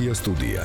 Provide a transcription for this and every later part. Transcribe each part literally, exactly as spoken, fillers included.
Media Studia.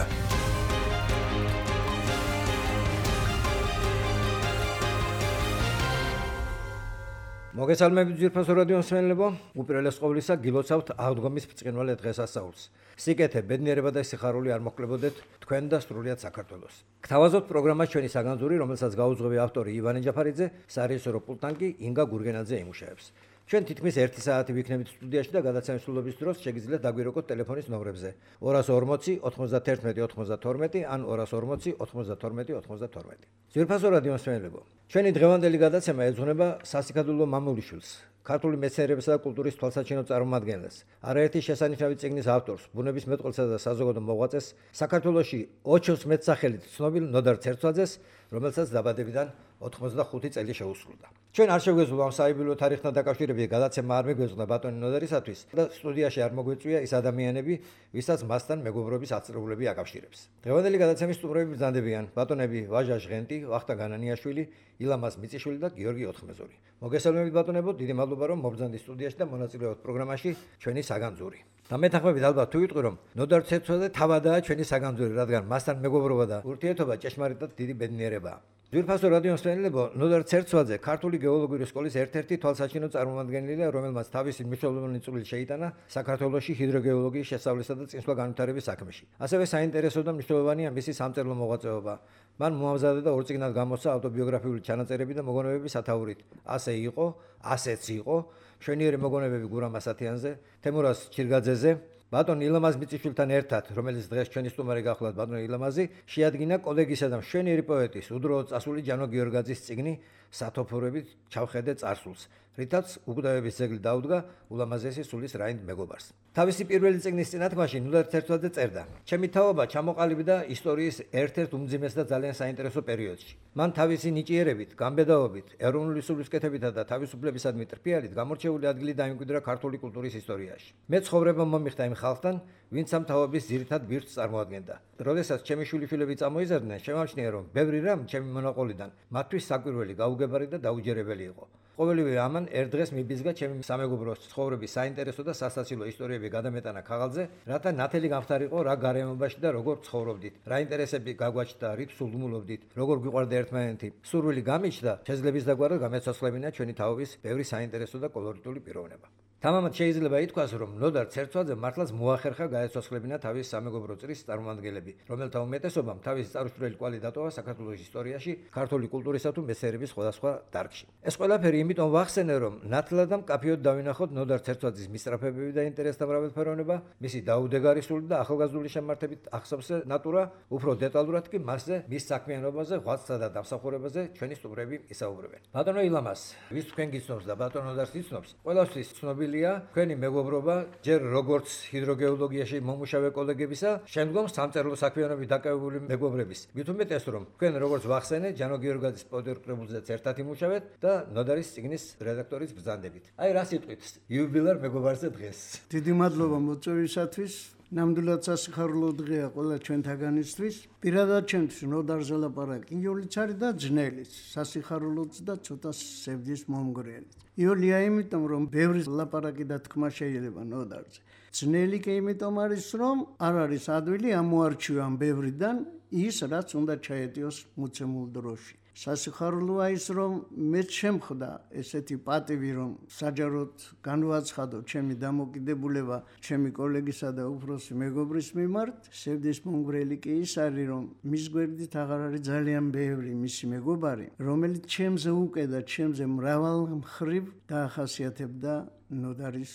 მოგესალმებით ძვირფასო რადიო მსმენელებო, უპირველეს ყოვლისა გილოცავთ აღდგომის ბრწყინვალე დღესასწაულს. სიკეთე, ბედნიერება და სიხარული არ მოხლებოდეთ თქვენ და სრულიად საქართველოს. გთავაზობთ პროგრამას ჩვენი საგანძური, რომელსაც გაუძღვევი ავტორი ივანე ჯაფარიძე, სარეჟისორო პულტთან კი ინგა გურგენაძე იმუშავებს. ჩვენ თითქმის ერთი საათი ვიქნებით სტუდიაში და გადაცემის სრულობის დროს შეგიძლიათ დაგვირეკოთ ტელეფონის ნომრებზე ორას ორმოცი ოთხმოცდაერთმეტი ოცმოცდათორმეტი ან ორას ორმოცი ოთხმოცდათორმეტი ოცმოცდათორმეტი. ძვირფასო რადიო მსმენელებო, ჩვენი დღევანდელი გადაცემა ეძღვნება სასიკადულო მამულიშვილს, ქართული მეცნიერებისა და კულტურის თვალსაჩინო წარმომადგენელს, არაერთი შესანიშნავი წიგნის ავტორს, ბუნების მეტყველსა და საზოგადო მოღვაწეს, საქართველოში ოჩოს მეტსახელით ცნობილ ნოდარ ცერცვაძეს, რომელსაც დაბადებიდან ოთხმოცდახუთი წელი შეუსრულდა. ჩვენ არ შევგეძლო ამ საიუბილეო თარიღთან დაკავშირებით გადაცემა არ მეგვეძღვნა ბატონი ნოდარისათვის და სტუდიაში არ მოგვეწვია ის ადამიანები, ვისაც მასთან მეგობრობის აწრეულები აკავშირებს. დღევანდელი გადაცემის სტუმრები ბრძანდებიან ბატონები ვაჟა ჟღენტი, ვახტა განანიაშვილი, ილამაზ მიწიშვილი და გიორგი ოთხმეზური. მოგესალმებით ბატონებო, დიდი მადლობა რომ მობრძანდით სტუდიაში და მონაწილეობთ პროგრამაში ჩვენი საგანძური. და მეთანხმებით ალბათ თუ ვიტყვი რომ ნოდარ ცერცვაძე თავადაა ჩვენი საგანძური, რადგან მასთან მეგობრობა და ურთიერთობა ჭეშმარიტად დიდი ბედნიერებაა. ძვირფასო რადიო მსმენელებო, ნოდარ ცერცვაძე ქართული გეოლოგიური სკოლის ერთ-ერთი თვალსაჩინო წარმომადგენელია, რომელმაც თავისი მნიშვნელოვანი წვლილი შეიტანა საქართველოში ჰიდროგეოლოგიის შესწავლისა და წინსვლა განვითარების საქმეში. ასევე საინტერესო და მნიშვნელოვანია მისი სამწერლო მოღვაწეობა. მან მოამზადა და ორ წიგნად გამოსცა ავტობიოგრაფიული ჩანაწერები და მოგონებები სათაურით. ასე იყო, ასეც იყო, მშვენიერი მოგონებები გურამ ასათიანზე, თემურაზ ჩირგაძეზე, ბატონ ილამაზ მიწიშვილთან ერთად, რომელიც დღეს ჩვენი სტუმარი გახლავთ ბატონ ილამაზი, შეადგინა კოლეგისა და მშვენიერი პოეტის უდროოდ წასული ჯანო გიორგაძის წიგნი სათოფურებით ჩავხედე წარსულს, რითაც უკვდავების ძეგლი დაუდგა ულამაზესი სულის რაინდ მეგობარს. თავისი პირველი წიგნის წინათქმაში ნოდარ ცერცვაძე წერდა: ჩემი თაობა ჩამოყალიბდა ისტორიის ერთ-ერთ უმძიმეს და ძალიან საინტერესო პერიოდში. მან თავისი ნიჭიერებით, გამბედაობით, ეროვნული სულისკეთებითა და თავისუფლებისადმი ტრფიალით გამორჩეული ადგილი დაიმკვიდრა ქართული კულტურის ისტორიაში. მე ცხოვრება მომიხდა იმ ხალხთან, ვინც ამ თაობის ძირითად ბირთვს წარმოადგენდა. როდესაც ჩემი შვილიშვილები წამოიზარდნენ, შემამჩნია რომ ბევრი რამ ჩემი მონაყოლიდან მათთვის საკვირველი, გაუგებარი და დაუჯერებელი იყო. ყოველივე ამან ერთ დღეს მიბიზგა ჩემი სამეგობროს ცხოვრების საინტერესო და სასაცილო ისტორიები გადამეტანა ქაღალდზე, რათა ნათელი გამხდარიყო რა გარემოში და როგორ ცხოვრობდით, რა ინტერესები გაგვაჩნდა, რით სულმულობდით, როგორ გვიყვარდა ერთმანეთი. სურვილი გამიჩნდა შეზღლების დაგვარად გამეცოცხლებინა ჩვენი თაობის ბევრი საინტერესო და კოლორიტული პიროვნება. თამამად შეიძლება ითქვას, რომ ნოდარ ცერცვაძე მართლაც მოახერხა გაეცოცხლებინა თავის სამეგობრო წრის წარმომადგენლები, რომელთა უმეტესობამ თავისი წარუსწრელი კვალი დატოვა საქართველოს ისტორიაში, ქართული კულტურისა თუ მეცნიერების სხვადასხვა დარგში. ეს ყველაფერი იმიტომ ვახსენე, რომ ნათლად და მკაფიოდ დავინახოთ ნოდარ ცერცვაძის მისწრაფებები და ინტერესთა მრავალფეროვნება, მისი დაუდეგარი სული და ახალგაზრდული შემართებით ახსოვსე ნატურა, უფრო დეტალურად კი მასზე, მის საქმიანობაზე, ღვაწლსა და დამსახურებაზე ჩვენი სტუმრები ისაუბრებენ. ბატონო ილამაზ, ვის თქვენ გიცნობს და ბატონ ნოდარს იცნობს, ყველასთვის ცნობილი თქვენი მეგობრობა, ჯერ როგორც ჰიდროგეოლოგიაში მომუშავე კოლეგებისა, შემდგომ სამწერლო საქმიანობით დაკავებული მეგობრების. მით უმეტეს რომ თქვენ როგორც ვახსენე, ჯანო გიორგაძის პოეტურ კრებულზეც ერთად იმუშავეთ და ნოდარის წიგნის რედაქტორის ბრძანდებით. აი რა სიტყვით იუბილარ მეგობარზე დღეს. დიდი მადლობა მოწვევისათვის. ნამდვილად სასიხარულო დღეა ყველა ჩვენთაგანისთვის. პირადად ჩემთვის ნოდარზე ლაპარაკი იოლიც არის და ძნელიც, სასიხარულოც და ცოტა სევდის მომგვრელი. იოლია იმიტომ რომ ბევრი ლაპარაკი და თქმა შეიძლება ნოდარზე. ძნელი კი იმიტომ არის რომ არ არის ადვილი ამოარჩიო ამ ბევრიდან ის რაც უნდა ჩაეტიოს მოცემულ დროში. სასიხარულოა ის რომ მეც შემხვდა ესეთი პატივი რომ საჯაროდ განვაცხადო ჩემი დამოკიდებულება ჩემი კოლეგისა და უფროსი მეგობრის მიმართ. სევდის მომგვრელი კი ის არის რომ მის გვერდით აღარ არის ძალიან ბევრი მისი მეგობარი, რომელიც ჩემზე უკვე და ჩემზე მრავალ მხრივ დაახასიათებდა ნოდარის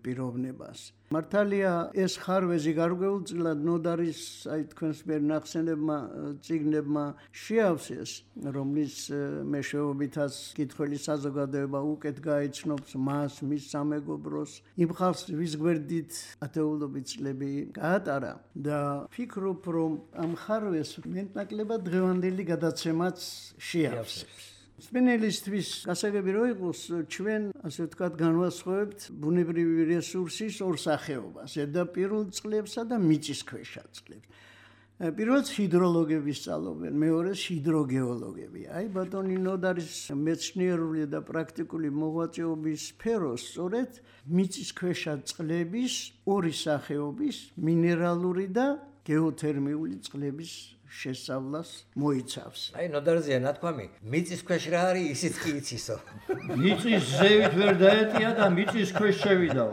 პიროვნებას. მართალია ეს ხარვეზი გარკვეულწილად ნოდარის აი თქვენს მიერ ნახსენებმა წიგნებმა შეავსეს, რომლის მეშვეობითაც კითხველი საზოგადოება უკეთ გაიცნობს მას, მის სამეგობროს, იმ ხალხს ვის გვერდით ათეულობით წლები გაატარა და ფიქრობ რომ ამ ხარვეს მეტნაკლებად დღევანდელი გადაცემაც შეავსებს. მსმენელისთვის გასაგები რო იყოს, ჩვენ ასე ვთქვათ განვასხვავებთ ბუნებრივი რესურსის ორ სახეობას, ზედაპირულ წყლებსა და მიწისქვეშა წყლებს. პირველს ჰიდროლოგები სწავლობენ, მეორეს ჰიდროგეოლოგები. აი ბატონი ნოდარის მეცნიერული და პრაქტიკული მოღვაწეობის სფეროს სწორედ მიწისქვეშა წყლების ორი სახეობის, მინერალური და გეოთერმიული წყლების შესწავლას მოიცავს. აი ნოდარზეა ნათქვამი, მიწის ქვეშ რა არის, ისიც კი იცისო. მიწის ზევით ვერ დაეტია და მიწის ქვეშ შევიდაო.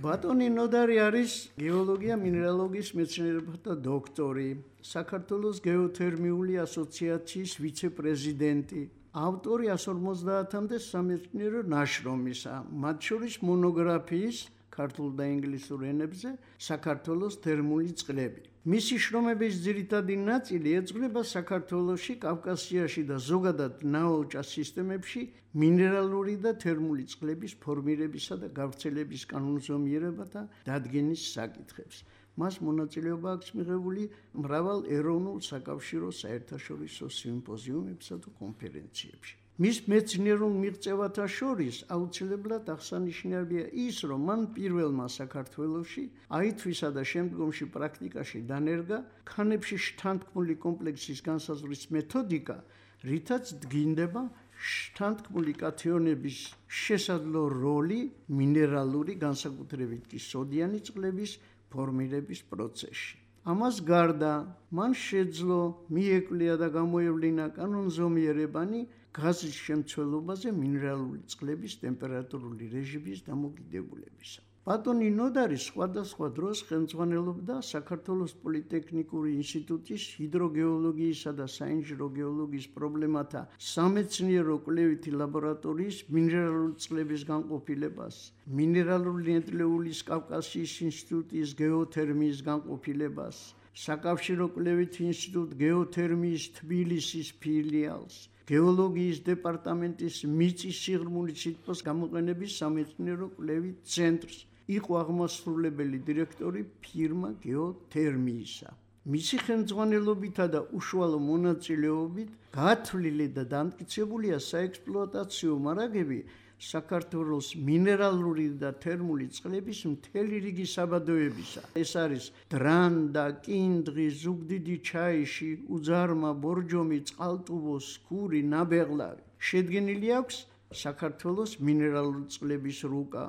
ბატონი ნოდარი არის გეოლოგია მინერალოგიის მეცნიერებათა დოქტორი, საქართველოს გეოთერმიული ასოციაციის ვიცე-პრეზიდენტი, ავტორი εκατს ორმოცდაათამდე სამეცნიერო ნაშრომისა, მათ შორის მონოგრაფიის ქართულ და ინგლისურ ენებზე საქართველოს თერმული წყლები. მისი შრომების ძირითადი ნაწილი ეძღვნება საქართველოში, კავკასიაში და ზოგადად ნაოჭა სისტემებში მინერალური და თერმული წყლების ფორმირებისა და გავრცელების კანონზომიერებათა დადგენის საკითხებს. მას მონაწილეობა აქვს მიღებული მრავალ ეროვნულ საკავშირო საერთაშორისო სიმპოზიუმებსა და კონფერენციებში. მის მეცნიერულ მიღწევათა შორის აუცილებლად აღსანიშნავია ის, რომ მან პირველმა საქართველოში აითვისა და შემდგომში პრაქტიკაში დანერგა ქანებში შთანთქმული კომპლექსის განსაზღვრის მეთოდიკა, რითაც დგინდება შთანთქმული კათიონების შესაძლო როლი მინერალური, განსაკუთრებით კი სოდიანი წყლების ფორმირების პროცესში. ამას გარდა მან შეძლო მიეკვლია და გამოევლინა კანონზომიერებანი გაზის შემცველობაზე მინერალური წყლების ტემპერატურული რეჟიმის დამოკიდებულებისა. ბატონი ნოდარი სხვადასხვა დროს ხელმძღვანელობდა საქართველოს პოლიტექნიკური ინსტიტუტის ჰიდროგეოლოგიისა და საინჟინრო გეოლოგიის პრობლემათა სამეცნიერო კვლევითი ლაბორატორიის მინერალური წყლების განყოფილებას, მინერალური ნედლეულის კავკასიის ინსტიტუტის გეოთერმიის განყოფილებას, საკავშირო კვლევითი ინსტიტუტ გეოთერმიის თბილისის ფილიალს, გეოლოგიის დეპარტამენტის მიწის სიღრმული სითბოს გამოყენების სამეცნიერო კვლევით ცენტრს, იყო აღმასრულებელი დირექტორი ფირმა გეოთერმიისა. მისი ხელმძღვანელობითა და უშუალო მონაწილეობით გათვლილი და დამტკიცებულია საექსპლუატაციო მარაგები საქართველოს მინერალური და თერმული წყლების მთელი რიგი საბადოებისა. ეს არის დრანდა, კინდღი, ზუგდიდი ჩაიში, უძარმა, ბორჯომი, წყალტუბო, სქური, ნაბეღლავი. შედგენილი აქვს საქართველოს მინერალური წყლების რუკა,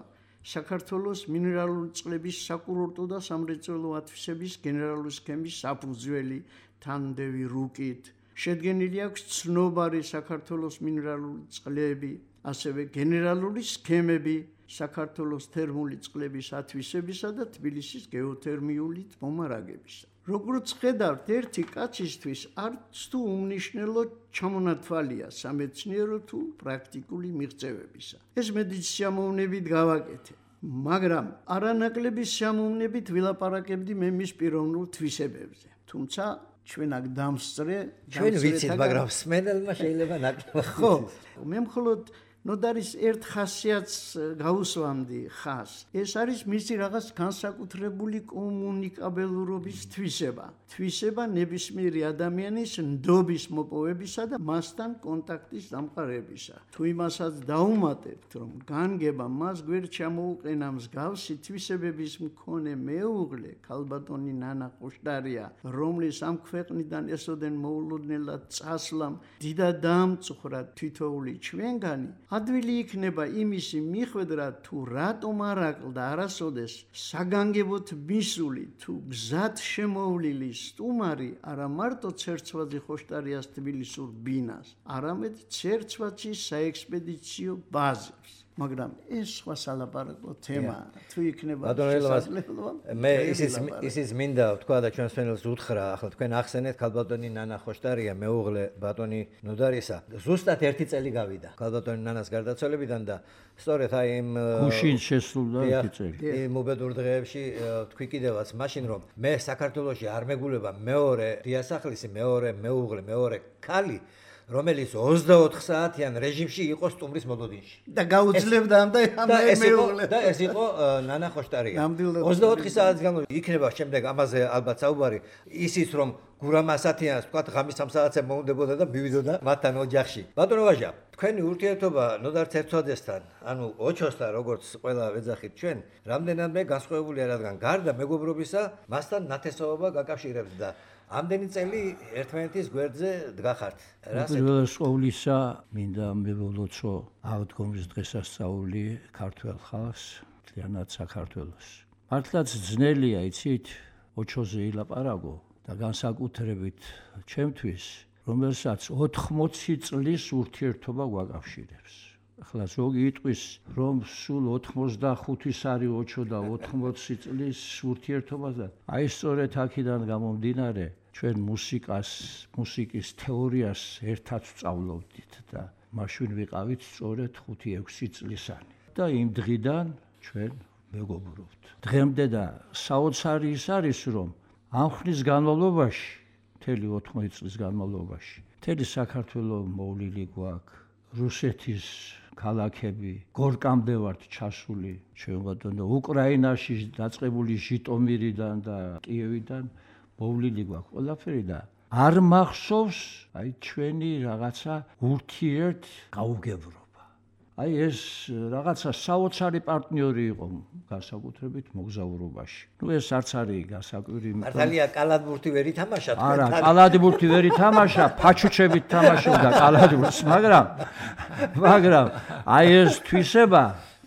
საქართველოს მინერალური წყლების საკურორტო და სამრეწველო ათვისების გენერალური სქემის საფუძველი თანდევი რუკით. შედგენილი აქვს ცნობარი საქართველოს მინერალური წყლები, ასევე გენერალური სქემები საქართველოს თერმული წყლების ათვისებისა და თბილისის გეოთერმიული მომარაგებისა. როგორც ხედავთ, ერთი კაცისთვის არც თუ უმნიშვნელო ჩამონათვალია სამეცნიერო თუ პრაქტიკული მიღწევებისა. ეს მეც სიამოვნებით გავაკეთე, მაგრამ არანაკლები სიამოვნებით ვილაპარაკებდი მე მის პიროვნულ თვისებებზე. თუმცა ჩვენ აქ დამსწრე, ჩვენ ვიცით, მაგრამ სმენელმა შეიძლება ნაკლებად. ხო, მე მხოლოდ ნოდარის ერთ ხასიათს გაუსვამდი ხას. ეს არის მისი რაღაც განსაკუთრებული კომუნიკაბელურობის თვისება. თვისება ნებისმიერი ადამიანის ნდობის მოპოვებისა და მასთან კონტაქტის დამყარებისა. თუ იმასაც დაუმატებთ, რომ განგება მას გვერდ ჩამოუყენა მსგავსი თვისებების მქონე მეუღლე, ქალბატონი ნანა ხოშტარია, რომლის ამ ქვეყნიდან ესოდენ მოულოდნელად წასვლამ დიდად დაამწუხრა თითოეული ჩვენგანი, ადვილი იქნება იმისი მიხვედრა, თუ რატომ არ აკლდა არასოდეს საგანგებოდ მისული თუ გზად შემოვლილი სტუმარი არა მარტო ცერცვაძე ხოშტარიას თბილისურ ბინას, არამედ ცერცვაძის საექსპედიციო ბაზებს. მაგრამ ეს სხვა სალაპარაკო თემაა. თუ იქნება შესაძლებლობა, მე ისიც ისიც მინდა ვთქვა და ჩვენს ფენელს უთხრა, ახლა თქვენ ახსენეთ ქალბატონი ნანა ხოშტარია, მეუღლე ბატონი ნოდარისა. ზუსტად ერთი წელი გავიდა ქალბატონი ნანას გარდაცვალებიდან და სწორედ აი იმ გუშინ შესრულდა ერთი წელი. იმ უბედურ დღეებში თქვი კიდევაც მაშინ რომ მე საქართველოში არ მეგულება მეორე დიასახლისი, მეორე მეუღლე, მეორე ქალი, რომელიც ოცდაოთხ საათიან რეჟიმში იყო სტუმრის მოლოდინში და გაუძლებდა ამ და ამ მეუღლე და ეს იყო ნანა ხოშტარია. ოცდაოთხი საათის განმავლობაში იქნება შემდეგ ამაზე ალბათ საუბარი, ისიც რომ გურამასათიანს თქვა ღამის სამ საათზე მოუნდებოდა და მივიდოდა მათთან ოჯახში. ბატონო ვაჟა, თქვენი ურთიერთობა ნოდარ ცერცვაძესთან, ანუ ოჩოსთან, როგორც ყველა ვეძახით ჩვენ, რამდენადმე განსხვავებულია, რადგან გარდა მეგობრობისა, მასთან ნათესაობა გაკავშირებს და ამდენი წელი ერთმანეთის გვერდზე დგახართ. პირველ ყოვლისა მინდა მივულოცო აღდგომის დღესასწაული ქართველ ხალხს, მთლიანად საქართველოს. მართლაც ძნელია, იცით, ოჩოზე ილაპარაკო და განსაკუთრებით ჩემთვის, რომელსაც ოთხმოცი წლის ურთიერთობა გვაკავშირებს. ახლა ზოგი იტყვის, რომ სულ ოთხმოცდახუთის არის ოჩო და ოთხმოცი წლის ურთიერთობა და აი სწორედ აქედან გამომდინარე ჩვენ მუსიკას, მუსიკის თეორიას ერთად ვსწავლობდით და მაშინ ვიყავით სწორედ ხუთი ექვსი წლისანი. და იმ დღიდან ჩვენ მეგობრობთ. დღემდე და საოცარი ის არის, რომ ამ ხნის განმავლობაში, მთელი ოთხმოცი წლის განმავლობაში, მთელი საქართველოს მოვლილი გვაქვს, რუსეთის ქალაქები, გორკამდე ვართ ჩასული, ჩვენ ბატონო, უკრაინაში დაწყებული ჟიტომირიდან და კიევიდან მოვლილი გვაქვს ყველაფერი და არ მახსოვს აი ჩვენი რაღაცა ურთიერთ გაუგებრობა. აი ეს რაღაცა საოცარი პარტნიორი იყო განსაკუთრებით მოგზაურობაში. ნუ ეს არც არის გასაკვირი. მართალია კალათბურთი ვერ ითამაშა თქვენ. არა, კალათბურთი ვერ ითამაშა, ფაჩუჩებით თამაშობდა კალათბურთს, მაგრამ მაგრამ აი ეს თვისება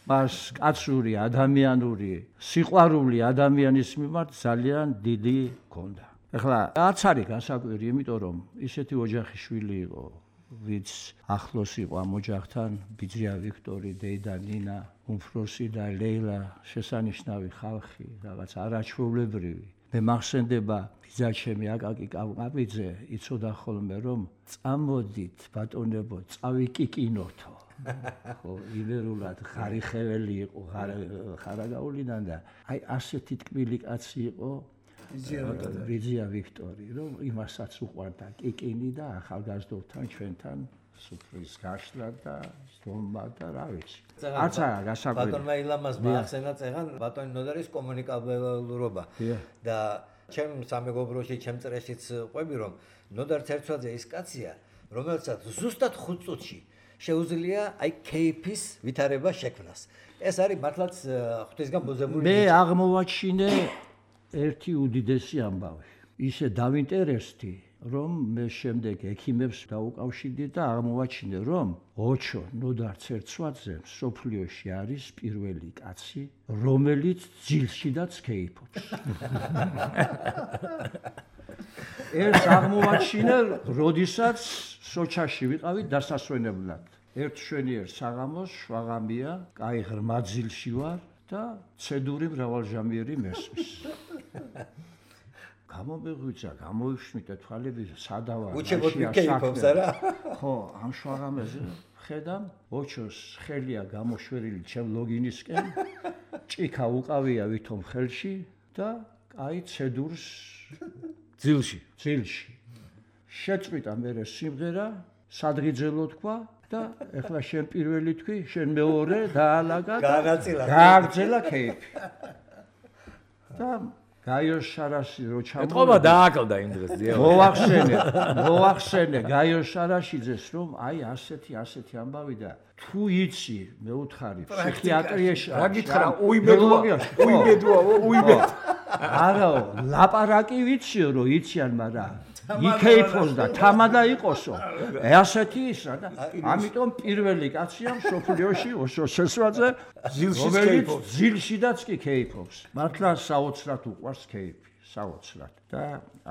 მას კაცური, ადამიანური, სიყვარული ადამიანის მიმართ ძალიან დიდი ჰქონდა. ეხლა რაც არის გასაკვირი, იმიტომ რომ ისეთი ოჯახის შვილი იყო, ვინც ახლოს იყო ამ ოჯახთან, ბიძია ვიქტორი, დეიდა ნინა, უმფროსი და ლეილა, შესანიშნავი ხალხი, რაღაც არაჩვეულებრივი. მე მახსენდება ბიძაჩემი აკაკი კავკაბიძე იცოდა ხოლმე რომ წამოდით ბატონებო, წავიკიკინოთო. ხო, იბერულად ხარიხეველი იყო ხარაგაულიდან და აი ასეთი ტკბილი კაცი იყო ბიძია ვიქტორი, რომ იმასაც უყვარდა კიკინი და ახალგაზრდობთან ჩვენთან სუფრის გაშლა და ზომბა და რა ვიცი. არც არა გასაკვირი. ბატონმა ილამას მაახსენა წეგან ბატონი ნოდარის კომუნიკაბელურობა და ჩემ სამეგობროში, ჩემ წრეშიც ყვები რომ ნოდარ ცერცვაძე ის კაცია, რომელსაც ზუსტად ხუთ წუთში შეუძლია აი კეიფის ვითარება შექმნას. ეს არის მართლაც ღვთისგან ბოზებული. მე აღმოვაჩინე ერთი უდიდესი ამბავი. ისე დავინტერესდი, რომ მე შემდეგ ექიმებს დაუკავშირდი და აღმოვაჩინე, რომ ოჩო ნოდარ ცერცვაძე სოფლიოში არის პირველი კაცი, რომელიც ძილშიდაც კეიფობს. ეს აღმოვაჩინე, როდესაც სოჩაში ვიყავით დასასვენებლად. ერთ შვენიერ საღამოს შვაღამია, კაი ღრმა ძილში ვარ და ცედური მრავალჟამიერი მესმის. გამომეღვიძა, გამოვიშმიტე თვალები, სადავარ. უჩებოდ მიკეიფობს არა? ხო, ამ შვაღამეზე ხედავ, ოჩოს ხელია გამოშვერილი ჩემ ლოგინისკენ, ჭიქა უყავია ვითომ ხელში და კაი ცედურს ძილში, ძილში. შეწყვიტა მერე სიმღერა, სადღიძელო თქვა და ეხლა შენ პირველი თქვი, შენ მეორე დაალაგა და გაანაწილა. გააგრძელა კეიფი. და გაიოს შარაში რო ჩამოვიდა. ეთყობა დააკლდა იმ დღეს ძიო. მოახსენე, მოახსენე გაიოს შარაშიძეს რომ აი ასეთი ასეთი ამბავი და თუ იცი მე უთხარი ფსიქიატრიაში რა გითხრა უიმედოა უიმედოა უიმედ არაო ლაპარაკი ვიციო რომ იციან მაგრამ იქეიფოს და თამადა იყოსო ასეთი ისა და ამიტომ პირველი კაცია სოფლიოში ოშო ცერცვაძე ძილში კეიფობს ძილშიდაც კი კეიფობს მართლა საოცრად უყვარს კეიფი საოცრად და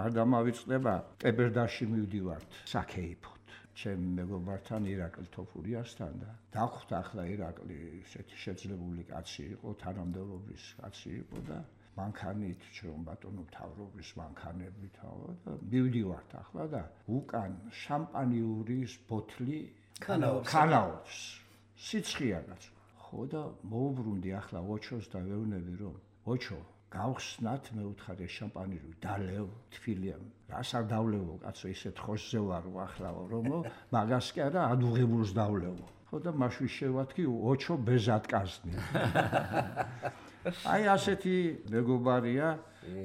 არ დამავიწყდება ტებერდაში მივდივართ საკეიფოდ ჩემ მეგობართან ირაკლი თოფურიასთან და დახვდა ახლა ირაკლი ესეთი შეძლებული კაცი იყო თანამდებობის კაცი იყო და მანქანით ჩვენ ბატონო მთავრობის მანქანებით და მივდივართ ახლა და უკან შამპანიურის ბოთლი ქანაობს სიცხეა კაც ხო და მოუბრუნდი ახლა ოჩოს და ვეუბნები რომ ოჩო გავხსნათ მე უთხარი შამპანიური დალევ თბილია რას არ დავლევო კაცო ისეთ ხოსზე ვარ ახლა რომ მაგას კი არა ადუღებულს დავლევო ხო და მაშინ შევათქი ოჩო ბეზატკაზნი აი ასეთი მეგობარია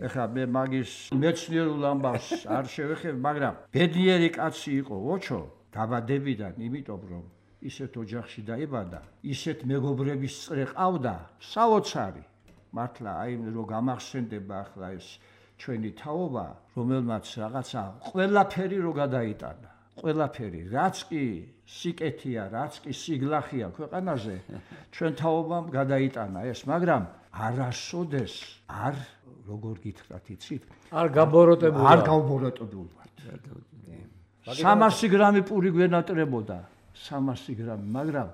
ეხლა მე მაგის მეცნიერულ ამბავს არ შევეხებ მაგრამ ბედნიერი კაცი იყო ოჩო დაბადებიდან იმიტომ რომ ისეთ ოჯახში დაიბადა ისეთ მეგობრების წრე ყავდა საოცარი მართლა აი რო გამახსენდება ახლა ეს ჩვენი თაობა რომელმაც რაღაცა ყველაფერი რო გადაიტანა ყველაფერი, რაც კი სიკეთეა, რაც კი სიგლახია ქვეყანაზე, ჩვენ თაობამ გადაიტანა ეს, მაგრამ არასოდეს არ როგორ გითხრათ იცით? არ გაბოროტებული. არ გავბოროტებული ვართ. სამასი გრამი პური გვენატრებოდა, სამასი გრამი, მაგრამ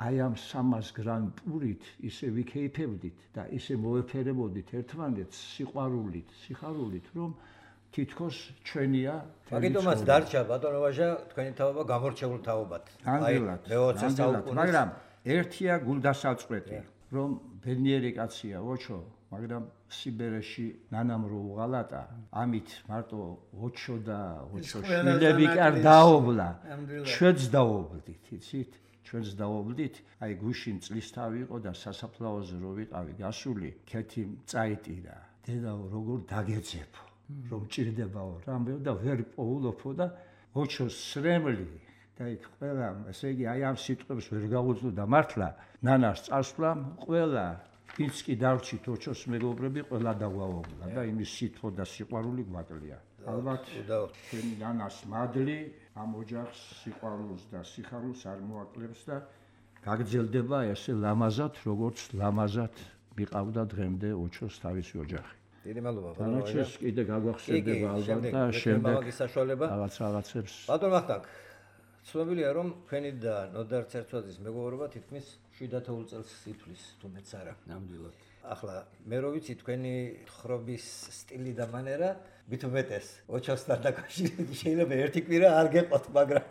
აი ამ სამას გრამი პურით ისე ვიქეიფებდით და ისე მოეფერებოდით ერთმანეთს სიყვარულით, სიხარულით, რომ თითქოს ჩვენია. მაგიტომაც დარჩა ბატონო ვაჟა თქვენი თაობა გამორჩეულ თაობად. აი მეოცე საუკუნის, მაგრამ ერთია გულდასაწყვეტი, რომ ბედნიერი კაცია ოჩო, მაგრამ სიბერეში ნანამ რო უღალატა, ამით მარტო ოჩო და ოჩო შვილები კი არ დაობლა. ჩვენც დაობლდით, იცით? ჩვენც დაობლდით, აი გუშინ წლისთავი იყო და სასაფლაოზე რო ვიყავი გასული, ქეთი წაიტირა. დედაო, როგორ დაგეძებო, რომ ჭირდებაო რამე და ვერ პოულობო და ოჩოს სრემლი და იქ ყველა, ესე იგი აი ამ სიტყვებს ვერ გაუძლო და მართლა ნანას წასვლამ ყველა ვინც კი დარჩით ოჩოს მეგობრები ყველა დაგვაუგლა და იმის სიტყვა და სიყვარული გვაკლია. ალბათ ჩვენი ნანას მადლი ამ ოჯახს სიყვარულს და სიხარულს არ მოაკლებს და გაგრძელდება ესე ლამაზად, როგორც ლამაზად მიყავდა დღემდე ოჩოს თავისი ოჯახი. დიდი მადლობა ბატონო ვაჟა. კიდე გაგვახსენდება ალბათ და შემდეგ რაღაც რაღაცებს. ბატონო ვახტანგ, ცნობილია რომ თქვენი და ნოდარ ცერცვაძის მეგობრობა თითქმის შვიდ ათეულ წელს ითვლის, თუ მეც არა. ნამდვილად. ახლა მე რო ვიცი თქვენი ხრობის სტილი და მანერა, მით უმეტეს ოჩოსთან დაკავშირებით შეიძლება ერთი კვირა არ გეყოთ, მაგრამ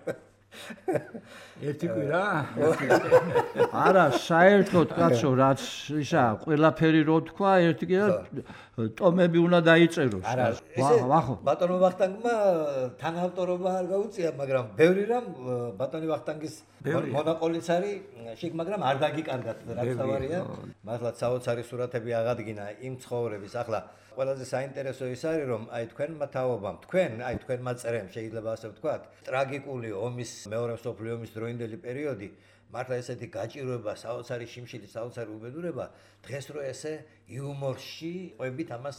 ერთი კვირა? არა, საერთოდ კაცო, რაც ისა, ყველაფერი რო თქვა, ერთი კვირა ტომები უნდა დაიწეროს. არა, ვახო. ბატონო ვახტანგმა თანაავტორობა არ გაუწია, მაგრამ ბევრი რამ ბატონი ვახტანგის მონაყოლიც არის შეგ, მაგრამ არ დაგიკარგათ რაც თავარია. მართლაც საოცარი სურათები აღადგინა იმ ცხოვრების. ახლა ყველაზე საინტერესო ის არის, რომ აი თქვენმა თაობამ, თქვენ, აი თქვენმა წერემ შეიძლება ასე ვთქვათ, ტრაგიკული ომის მეორე მსოფლიო ომის დროინდელი პერიოდი, მართლა ესეთი გაჭირვება, საოცარი შიმშილი, საოცარი უბედურება, დღეს რო ესე იუმორში ყვებით ამას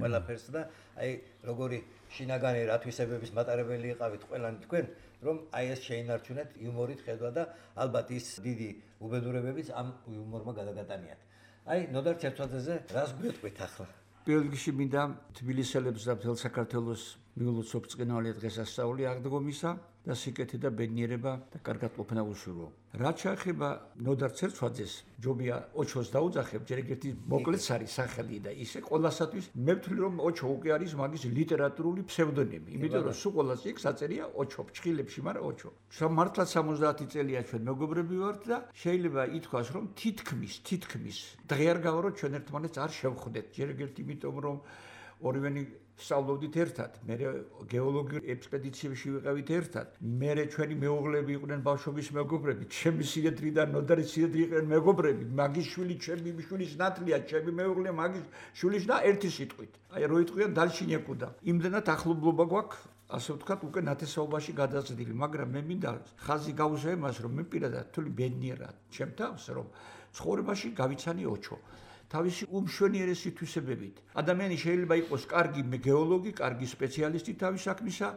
ყველაფერს და აი როგორი შინაგანი რათვისებების მატარებელი იყავით ყველანი თქვენ, რომ აი ეს შეინარჩუნეთ იუმორით ხედვა და ალბათ ის დიდი უბედურებებიც ამ იუმორმა გადაგატანიათ. აი ნოდარ ცერცვაძეზე რას გვეტყვით ახლა? პირველ რიგში მინდა თბილისელებს და მთელ საქართველოს მიულოცო ბრწყინვალე დღესასწაული აღდგომისა და სიკეთე და ბედნიერება და კარგად ყოფნა უშურო. რაც შეეხება ნოდარ ცერცვაძეს, ჯობია ოჩოს დაუძახებ, ჯერ ერთი მოკლეც არის სახელი და ისე ყველასათვის მე ვთვლი რომ ოჩო უკვე არის მაგის ლიტერატურული ფსევდონიმი, იმიტომ რომ სულ ყველას იქ საწერია ოჩო, ფრჩხილებში, მაგრამ ოჩო. მართლაც სამოცდაათი წელია ჩვენ მეგობრები ვართ და შეიძლება ითქვას რომ თითქმის, თითქმის დღე არ გავარო ჩვენ ერთმანეთს არ შევხვდეთ. ჯერ ერთი იმიტომ რომ ორივენი სწავლობდით ერთად, მე გეოლოგიურ ექსპედიციებში ვიყავით ერთად, მე ჩვენი მეუღლეები იყვნენ ბავშვობის მეგობრები, ჩემი სიედრიდან ნოდარის სიედრი იყვნენ მეგობრები, მაგის შვილი ჩემი შვილის ნათლია, ჩემი მეუღლე მაგის შვილის და ერთი სიტყვით. აი რო იტყვიან დალშინეკუდა. იმდენად ახლობლობა გვაქვს, ასე ვთქვათ, უკვე ნათესაობაში გადაზრდილი, მაგრამ მე მინდა ხაზი გავუზო იმას, რომ მე პირადად თვლი ბედნიერად ჩემ თავს, რომ ცხოვრებაში გავიცანი ოჩო. თავისი უმშვენიერესი თვისებებით. ადამიანი შეიძლება იყოს კარგი გეოლოგი, კარგი სპეციალისტი თავის საქმისა,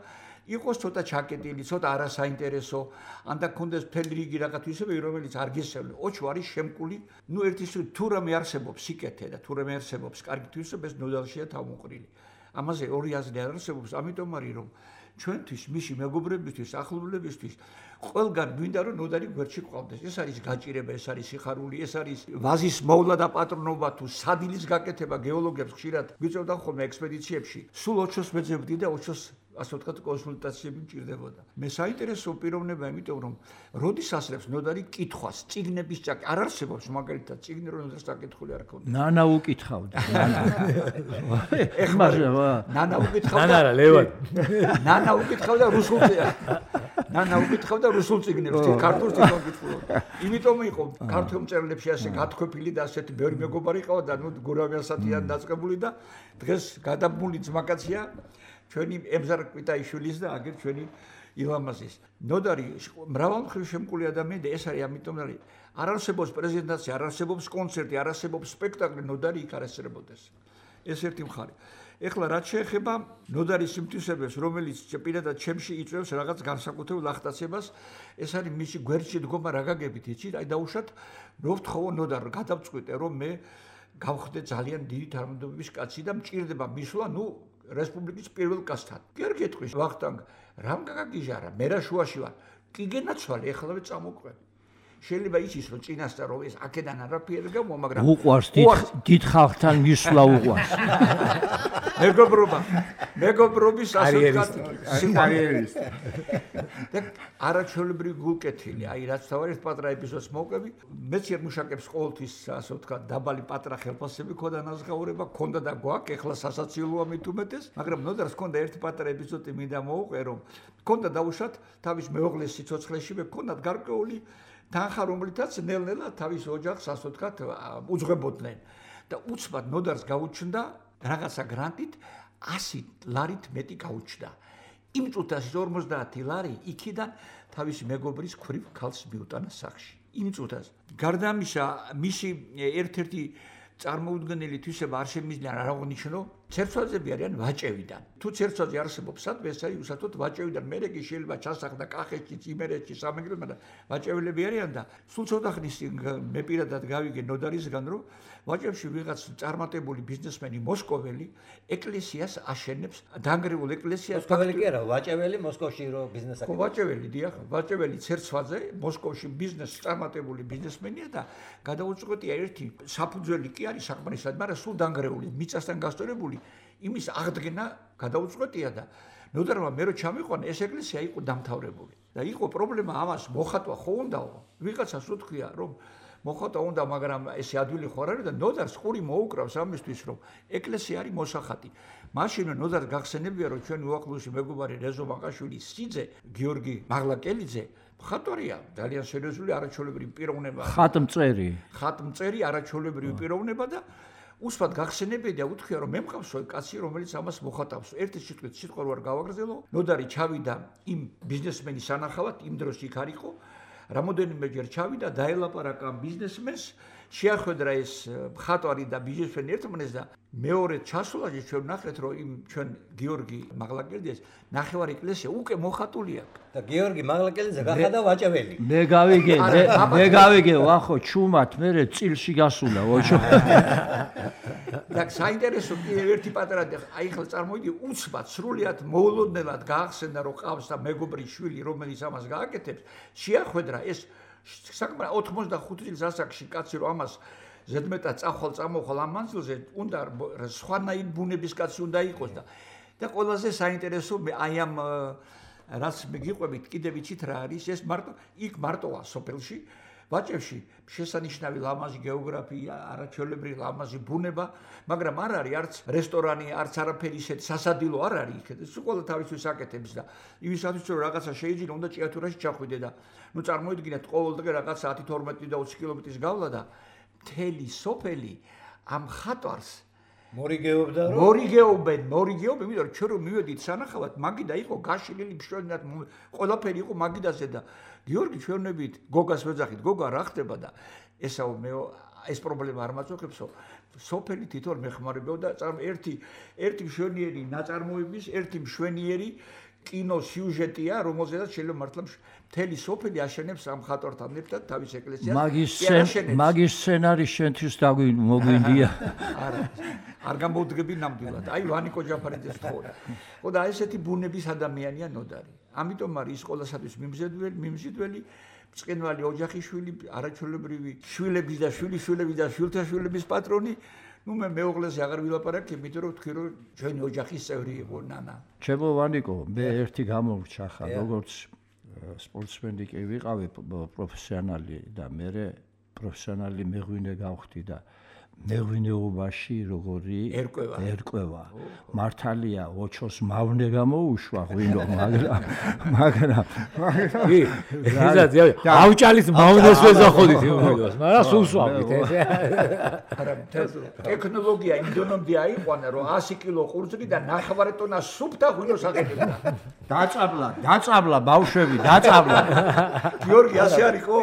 იყოს ცოტა ჩაკეტილი, ცოტა არასაინტერესო, ან და ქონდეს მთელი რიგი რაღაც თვისებები, რომელიც არ გესწავლე. ოჩო არის შემკული, ნუ ერთის თუ რამე არსებობს სიკეთე და თუ რამე არსებობს კარგი თვისება, ნოდარშია თავმოყრილი. ამაზე ორი აზრი არ არსებობს, ამიტომ არის რომ ჩვენთვის, მისი მეგობრებისთვის, ახლობლებისთვის ყველგან გვინდა რომ ნოდარი გვერდში ყავდეს. ეს არის გაჭირება, ეს არის სიხარული, ეს არის ვაზის მოვლა და პატრონობა თუ სადილის გაკეთება გეოლოგებს ხშირად გვიწევდა ხოლმე ექსპედიციებში. სულ ოჩოს მეძებდი და ოჩოს ასე ვთქვათ კონსულტაციები მჭირდებოდა. მე საინტერესო პიროვნება, იმიტომ რომ როდის ასრებს ნოდარი კითხვას, წიგნების ჭაკი არ არსებობს მაგალითად, წიგნი რომ ნოდარს დაკითხული არ ქონდა. ნანა უკითხავდა. ეხლა ნანა უკითხავდა. ნანა რა ლევან. ნანა უკითხავდა რუსულ ნანა უკითხავდა რუსულ წიგნებს, ქართულს თვითონ კითხულობდა. იმიტომ იყო ქართულ მწერლებში ასე გათქვეფილი და ასეთი ბევრი მეგობარი ყავდა და ნუ გურავიანსათიან დაწყებული და დღეს გადაბმული ძმაკაცია ჩვენი ემზარ კვიტაიშვილის და აგერ ჩვენი ილამაზის. ნოდარი მრავალმხრივ შემკული ადამიანი და ეს არის ამიტომ არის არ არსებობს პრეზენტაცია, არ არსებობს კონცერტი, არ არსებობს სპექტაკლი, ნოდარი იქ არ ესწრებოდეს. ეს ერთი მხარე. ეხლა რაც შეეხება ნოდარის სიმტვისებებს, რომელიც პირადად ჩემში იწვევს რაღაც განსაკუთრებულ ახტაცებას, ეს არის მისი გვერდში დგომა რა გაგებით, იცით? აი დაუშვათ, რო ვთხოვო ნოდარ, გადავწყვიტე, რომ მე გავხდე ძალიან დიდი თანამდებობის კაცი და მჭირდება მისვლა, ნუ რესპუბლიკის პირველ კაცთან. კი არ გეტყვის, ვახტანგ, რამ გაგაგიჟარა? მე რა შუაში ვარ. კი გენაცვალე, ეხლავე წამოყვე. შეიძლება იცის რომ წინასწარ რომ ეს აქედან არაფერი გამო, მაგრამ უყვარს დიდ ხალხთან მისვლა უყვარს. მეგობრობა, მეგობრობის ასოთქად სიყვარულის. და არაჩვეულებრივი გულკეთილი, აი რაც თავად ერთ პატრა ეპიზოდს მოვყვები, მეც მუშაკებს ყოველთვის ასოთქად დაბალი პატრა ხელფასები ქონდა ნაზღაურება, ქონდა და გვაქვს, ეხლა სასაცილოა მით უმეტეს, მაგრამ ნოდარს ქონდა ერთი პატრა ეპიზოდი მინდა მოვყვე, რომ ქონდა დაუშვათ თავის მეუღლის სიცოცხლეში მე ქონდათ გარკვეული თანხა, რომლითაც ნელ-ნელა თავის ოჯახს ასოთქად უძღვებოდნენ და უცბად ნოდარს გაუჩნდა რაღაცა გრანტით ასი ლარით მეტი გაუჩნდა. იმ წუთას ორმოცდაათი ლარი იქიდან თავის მეგობრის ქვრივ ქალს მიუტანა სახში. იმ წუთას. გარდა ამისა, მისი ერთ-ერთი წარმოუდგენელი თვისება არ შემიძლია არ აღნიშნო, ცერცვაძეები არიან ვაჭევიდან. თუ ცერცვაძე არსებობს სადმე, ეს არის უსათოდ ვაჭევიდან. მე კი შეიძლება ჩასახდა კახეთში, იმერეთში, სამეგრელოში, მაგრამ ვაჭევლები არიან და სულ ცოტა ხნის მე პირადად გავიგე ნოდარისგან, რომ ვაჭევში ვიღაც წარმატებული ბიზნესმენი მოსკოველი ეკლესიას აშენებს, დანგრეულ ეკლესიას. მოსკოველი კი არა, ვაჭეველი მოსკოვში რო ბიზნეს აკეთებს. ვაჭეველი, დიახ, ვაჭეველი ცერცვაძე მოსკოვში ბიზნეს წარმატებული ბიზნესმენია და გადაუწყვეტია ერთი საფუძველი კი არის საკმარისად, მაგრამ სულ დანგრეული, მიწასთან გასწორებული იმის აღდგენა გადაუწყვეტია და ნოდარმა მე რო ჩამიყვანა ეს ეკლესია იყო დამთავრებული და იყო პრობლემა ამას მოხატვა ხო უნდაო ვიღაცას უთქვია რომ მოხატვა უნდა მაგრამ ესე ადვილი ხო არ არის და ნოდარს ყური მოუკრავს ამისთვის რომ ეკლესია არის მოსახატი მაშინ ნოდარს გახსენებია რომ ჩვენი უახლოესი მეგობარი რეზო მაყაშვილის სიძე გიორგი მაღლაკელიძე ხატორია ძალიან სერიოზული არაჩვეულებრივი პიროვნება ხატმწერი ხატმწერი არაჩვეულებრივი პიროვნება და უსვათ გახსენებია და უთქვია რომ მე მყავსო კაცი რომელიც ამას მოხატავს ერთი სიტყვით სიტყვა რო არ გავაგრძელო ნოდარი ჩავიდა იმ ბიზნესმენის სანახავად იმ დროს იქ არ იყო რამოდენიმეჯერ ჩავიდა დაელაპარაკა ბიზნესმენს შეახვედრა ეს მხატვარი და ბიზნესმენი ერთმანეთს და მეორე ჩასულაში ჩვენ ნახეთ რომ იმ ჩვენ გიორგი მაღლაკელიძეს ნახევარი ეკლესია უკვე მოხატული აქვს და გიორგი მაღლაკელიძე გახადა ვაჭეველი მე გავიგე მე გავიგე ვახო ჩუმად მე წილში გასულა ოჩო და საინტერესო კიდევ ერთი პატარა აი ხელ წარმოიდი უცბად სრულიად მოულოდნელად გაახსენდა რომ ყავს და მეგობრის შვილი რომელიც ამას გააკეთებს შეახვედრა ეს საკმაოდ ოთხმოცდახუთი წლის ასაკში კაცი რომ ამას ზედმეტად წახვალ წამოხვალ ამ მანძილზე უნდა სხვანაირ ბუნების კაცი უნდა იყოს და და ყველაზე საინტერესო აი ამ რაც მეგიყვებით კიდევ იცით რა არის ეს მარტო იქ მარტოა სოფელში ვაჭევში შესანიშნავი ლამაზი გეოგრაფია არაჩვეულებრივი ლამაზი ბუნება მაგრამ არ არის არც რესტორანი არც არაფერი ისეთი სასადილო არ არის იქ ეს ყველა თავისთვის აკეთებს და იმისათვის რომ რაღაცა შეიძლება უნდა ჭიათურაში ჩახვიდე და ნუ წარმოიდგინეთ ყოველდღე რაღაცა ათი თორმეტი და ოცი კილომეტრის გავლა და მთელი სოფელი ამ ხატვარს მორიგეობდა რომ მორიგეობენ მორიგეობენ იმიტომ რომ ჩვენ რომ მივედით სანახავად მაგიდა იყო გაშლილი მშვენივრად ყველაფერი იყო მაგიდაზე და გიორგი ჩვენებით გოგას ვეძახით გოგა რა ხდება და ესაო მე ეს პრობლემა არ მაწუხებსო სოფელი თვითონ მეხმარებოდა ერთი ერთი მშვენიერი ნაწარმოების ერთი მშვენიერი კინო სიუჟეტია რომელზედაც შეიძლება მართლა მთელი სოფელი აშენებს ამ ხატვართან ერთად თავის ეკლესიას მაგის მაგის სცენარი შენთვის მოგვინდია არა არ გამოვდგები ნამდვილად აი ვანიკო ჯაფარიძეს თხოვდა ხო და ესეთი ბუნების ადამიანია ნოდარი ამიტომ არის ის ყოველასათვის მიმზიდველი მიმზიდველი წყენვალი ოჯახიშვილი არაჩვეულებრივი შვილების და შვილიშვილების და შვილთაშვილების პატრონი ნუ მე მეუღლეზე აღარ ვილაპარაკე იმიტომ რომ თქვი რომ ჩვენი ოჯახის წევრი იყო ნანა ჩემო ვანიკო მე ერთი გამორჩა ხა როგორც სპორტსმენი კი ვიყავი პროფესიონალი და მე პროფესიონალი მეღვინე გავხდი და მეღვინეობაში როგორი ერკვევა ერკვევა მართალია ოჩოს მავნე გამოუშვა ღვინო მაგრამ მაგრამ კი ეზა ავჭალის მავნეს ვეზახოდით იმ ღვინოს მაგრამ სულ სვავით ეს არა ტექნოლოგია იმ დონემდე აიყვანა რომ ასი კილო ყურძნი და ნახევარი ტონა სუფთა ღვინოს აკეთებდა დაწაბლა დაწაბლა ბავშვები დაწაბლა გიორგი ასე არისო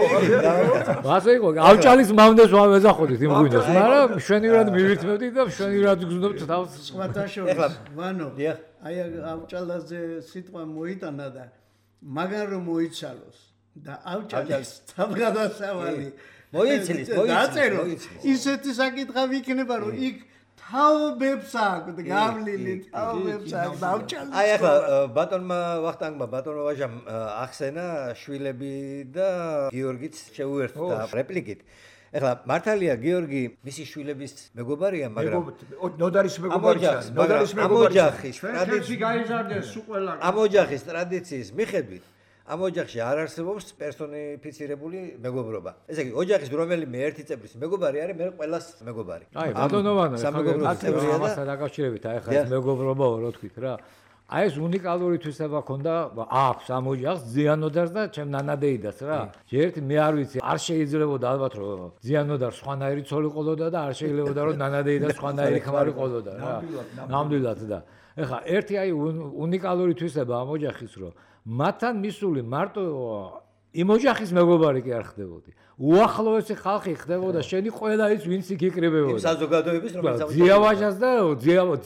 ასე იყო ავჭალის მავნეს ვეზახოდით იმ ღვინოს მაგრამ მშვენივრად მივირთმევდით და მშვენივრად გზნობთ თავს. სხვათა შორის ვანო აი ავჭალაზე სიტყვა მოიტანა და მაგარ რომ მოიცალოს და ავჭალის თავგადასავალი მოიცლის მოიცლის ისეთი საკითხი იქნება რომ იქ თაობებს აქვს გავლილი თაობებს აქვს დავჭალს აი ახლა ბატონმა ვახტანგმა ბატონმა ვაჟამ ახსენა შვილები და გიორგიც შეუერთდა რეპლიკით ეხლა მართალია გიორგი მისი შვილების მეგობარია მაგრამ ნოდარის მეგობარია ნოდარის მეგობარია ამოჯახის ტრადიცია გაიზარდეს უყველა ამოჯახის ტრადიციის მიხედვით ამ ოჯახში არ არსებობს პერსონიფიცირებული მეგობრობა. ესე იგი, ოჯახის რომელიმე ერთი წევრის მეგობარი არის, მე ყველას მეგობარი. აი, ბატონოვანო, სამეგობროს წევრია და ამასთან დაკავშირებით, აი ხა ეს მეგობრობაო, რა თქვით რა. აი ეს უნიკალური თვისება ქონდა, აქვს ამ ოჯახს ზიანოდარს და ჩემ ნანადეიდას რა. ერთი მე არ ვიცი, არ შეიძლებოდა ალბათ რომ ზიანოდარ სხვანაირი ცოლი ყოლოდა და არ შეიძლებოდა რომ ნანადეიდა სხვანაირი ქმარი ყოლოდა რა. ნამდვილად და. ეხლა ერთი აი უნიკალური თვისება ამ ოჯახის რომ მათთან მისული მარტო იმ ოჯახის მეგობარი კი არ ხდებოდი. უახლოესი ხალხი ხდებოდა, შენი ყველა ის ვინც იქ იკრიბებოდა. იმ საზოგადოების რომელიც ძიავაჟას და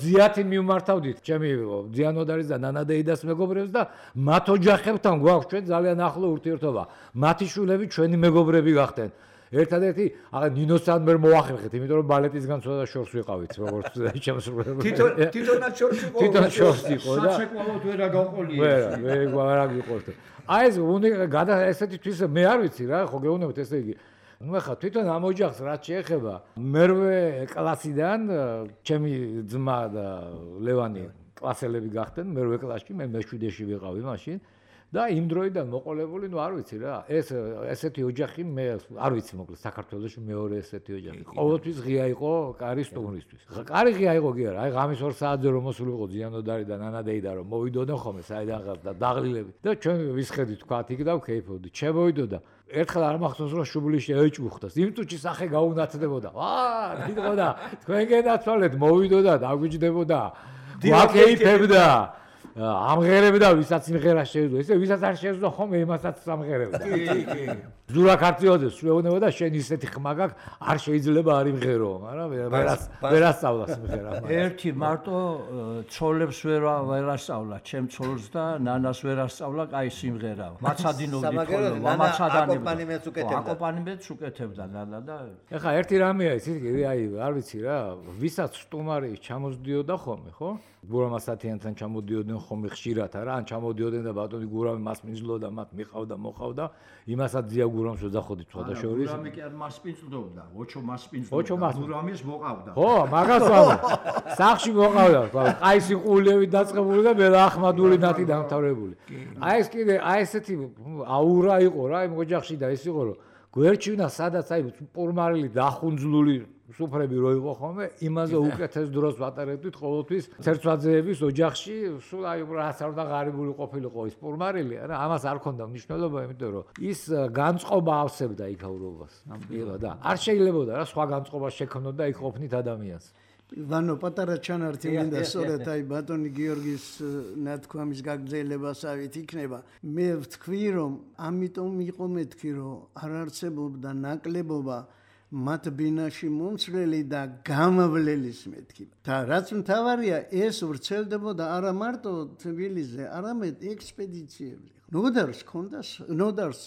ძიათი მიმართავდით, ჩემი ძიანოდარის და ნანადეიდას მეგობრებს და მათ ოჯახებთან გვაქვს ჩვენ ძალიან ახლო ურთიერთობა. მათი შვილები ჩვენი მეგობრები გახდნენ. ერთადერთი აღა ნინოსთან მე მოახერხეთ, იმიტომ რომ ბალეტისგან ცოტა შორს ვიყავით, როგორც შემსრულებელი. თვითონ თვითონაც შორს იყო. თვითონ შორს იყო და საცეკვავოდ ვერ აგაყოლია. ვერა, მე არ აგიყოლთ. აი ეს გადა ესეთი თვისება მე არ ვიცი რა, ხო გეუბნებით ესე იგი. ნუ ახლა თვითონ ამ ოჯახს რაც შეეხება, მერვე კლასიდან ჩემი ძმა და ლევანი კლასელები გახდნენ, მერვე კლასში, მე მეშვიდეში ვიყავი მაშინ. და იმ დროიდან მოყოლებული, ნუ არ ვიცი რა, ეს ესეთი ოჯახი მე არ ვიცი მოკლედ საქართველოში მეორე ესეთი ოჯახი. ყოველთვის ღია იყო კარი სტუმრისთვის. კარი ღია იყო კი არა, აი ღამის ორ საათზე რომ მოსულიყო ზიანოდარი და ნანადეიდა რომ მოვიდოდნენ ხოლმე საიდანღაც და დაღლილები. და ჩვენ ვისხედით თქვათ იქ და ვქეიფობდით. შემოვიდოდა. ერთხელ არ მახსოვს რომ შუბლიში ეჭუხდას. იმ წუთში სახე გაუნათდებოდა. აა, დიდღოდა, თქვენ გენაცვალეთ, მოვიდოდა, დაგვიჯდებოდა. ვაკეიფებდა. ამღერებდა ვისაც იმღერა შეეძლო ესე ვისაც არ შეეძლო ხომ იმასაც ამღერებდა კი კი ზურა ქართიოდეს შეეუბნება და შენ ისეთი ხმა გაქვს არ შეიძლება არ იმღერო მაგრამ ვერას ვერასწავლას იმღერა ერთი მარტო ცოლებს ვერ ვერასწავლა ჩემ ცოლს და ნანას ვერასწავლა კაი სიმღერა მაცადინოვდი ხოლმე აკოპანიმეც უკეთებდა აკოპანიმეც უკეთებდა ნანა და ეხა ერთი რამეა იცი აი არ ვიცი რა ვისაც სტუმარი ჩამოსდიოდა ხოლმე ხო გურამასათიანთან ჩამოდიოდნენ ხომ ხშირად არა ან ჩამოდიოდნენ და ბატონი გურამი მას მიზლოდა მათ მიყავდა მოყავდა იმასაც ძია გურამს ვეძახოდი თვალა შორის გურამი კი არ მას პინწლობდა ოჩო მას პინწლობდა გურამის მოყავდა ხო მაგას ვამბობ სახში მოყავდა ყაისი ყულევი დაწყებული და მელა ახმადური ნათი დამთავრებული აი ეს კიდე აი ესეთი აურა იყო რა იმ ოჯახში და ის იყო რომ გვერდჩივნა სადაც აი პურმარილი დახუნძლული სუფრები რო იყო ხოლმე იმაზე უკეთეს დროს ვატარებდით ყოველთვის ცერცვაძეების ოჯახში სულ აი რაც არ უნდა ღარიბული ყოფილიყო ის პურმარილი არა ამას არ ქონდა მნიშვნელობა იმიტომ რომ ის განწყობა ავსებდა იქაურობას ნამდვილად და არ შეიძლებოდა რა სხვა განწყობა შექმნოდა იქ ყოფნით ადამიანს ვანო პატარა ჩანართი მინდა სწორედ აი ბატონი გიორგის ნათქვამის გაგრძელებასავით იქნება მე ვთქვი რომ ამიტომ იყო მეთქი რომ არ არსებობდა ნაკლებობა მათ ბინაში მომცვლელი და გამავლელის მეთქი და რაც მთავარია ეს ვრცელდებოდა არა მარტო თბილისზე არამედ ექსპედიციებზე ნოდარს ქონდა ნოდარს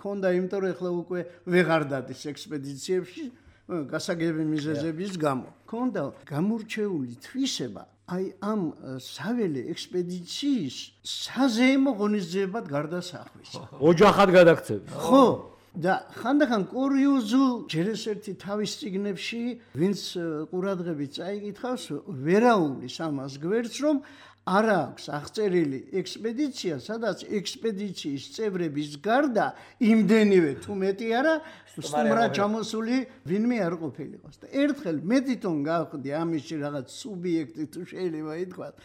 ქონდა იმიტომ რომ ახლა უკვე ვეღარ დადის ექსპედიციებში გასაგები მიზეზების გამო ქონდა გამორჩეული თვისება აი ამ საველე ექსპედიციის საზეიმო ღონისძიებად გარდასახვის ოჯახად გადაქცევი ხო და ხანდახან კურიოზულ ჯერ ეს ერთი თავის წიგნებში ვინც ყურადღებით წაიკითხავს ვერაულის ამას გვერდს რომ არ აქვს აღწერილი ექსპედიცია სადაც ექსპედიციის წევრების გარდა იმდენივე თუ მეტი არა სტუმრად ჩამოსული ვინმე არ ყოფილიყოს და ერთხელ მე თვითონ გავხდი ამაში რაღაც სუბიექტი თუ შეიძლება ითქვას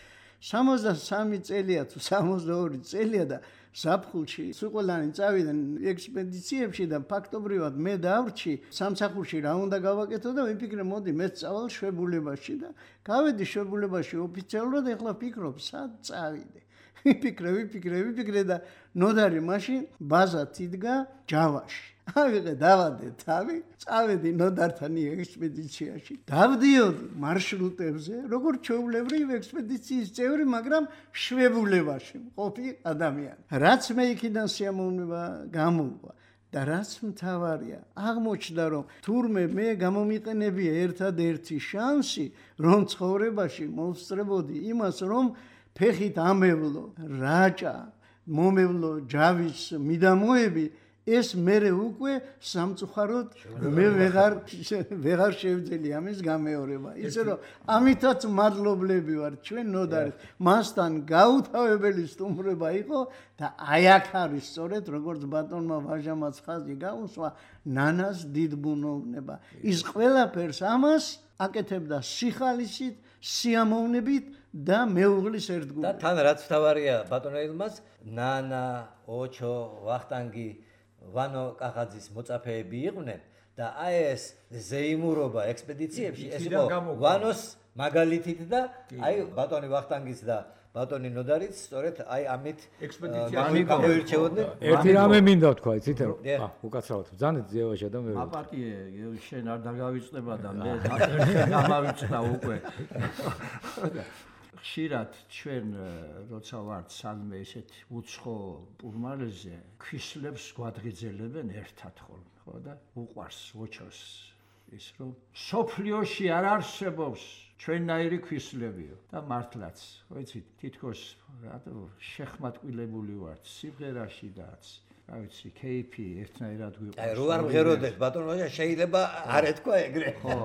სამოცდასამი წელია თუ სამოცდაორი წელია და საფხულში სუყოლანი წავიდნენ ექსპედიციებში და ფაქტობრივად მე დავრჩი სამსახურში რა უნდა გავაკეთო და ვიფიქრე მოდი მე წავალ შვებულებაში და გავედი შვებულებაში ოფიციალურად ეხლა ფიქრობ სად წავიდე ვიფიქრე ვიფიქრე ვიფიქრე და ნოდარი მაშინ ბაზად იდგა ჯავაში ავიღე დავადე თავი, წავედი ნოდართან ექსპედიციაში. დავდიოდი მარშრუტებზე, როგორც ჩვეულებრივ ექსპედიციის წევრი, მაგრამ შვებულებაში მყოფი ადამიანი. რაც მე იქიდან სიამოვნება გამოვყვა და რაც მთავარია, აღმოჩნდა რომ თურმე მე გამომიყენებია ერთადერთი შანსი, რომ ცხოვრებაში მოვსწრებოდი იმას, რომ ფეხით ამევლო რაჭა, მომევლო ჯავის მიდამოები, ეს მერე უკვე სამწუხაროდ მე ვეღარ ვეღარ შევძელი ამის გამეორება. ისე რომ ამითაც მადლობლები ვარ ჩვენ ნოდარის. მასთან გაუთავებელი სტუმრება იყო და აი აქ არის სწორედ როგორც ბატონმა ვაჟამაც ხაზი გაუსვა, ნანას დიდ ბუნოვნება. ის ყველაფერს ამას აკეთებდა სიხალისით, სიამოვნებით და მეუღლის ერთგულებით. და თან რაც თავარია ბატონ ელმას, ნანა, ოჩო, ვახტანგი ვანო კახაძის მოწაფეები იყვნენ და აი ეს ზეიმურობა ექსპედიციებში ეს იყო ვანოს მაგალითით და აი ბატონი ვახტანგის და ბატონი ნოდარიც სწორედ აი ამით ექსპედიციაში გამოირჩეოდნენ. ერთი რამე მინდა თქვა, იცით რომ ა უკაცრავად ბრძანეთ ზევაშა და მე აპატიე შენ არ დაგავიწყდება და მე ერთხელ გამავიწყდა უკვე. ხშირად ჩვენ როცა ვართ სალმე ესეთ უცხო პურმალებზე ქვისლებს გვადღიძელებენ ერთად ხოლმე, ხო და უყვარს ოჩოს ის რომ სოფლიოში არ არსებობს ჩვენნაირი ქვისლებიო და მართლაც, ხო იცით, თითქოს რატო შეხმატკილებული ვართ სიმღერაში დაც რა ვიცი, კეიფი ერთნაირად გვიყვარს. აი, რო არ მღეროდეს, ბატონო ვაჟა, შეიძლება არ ეთქვა ეგრე. ხო,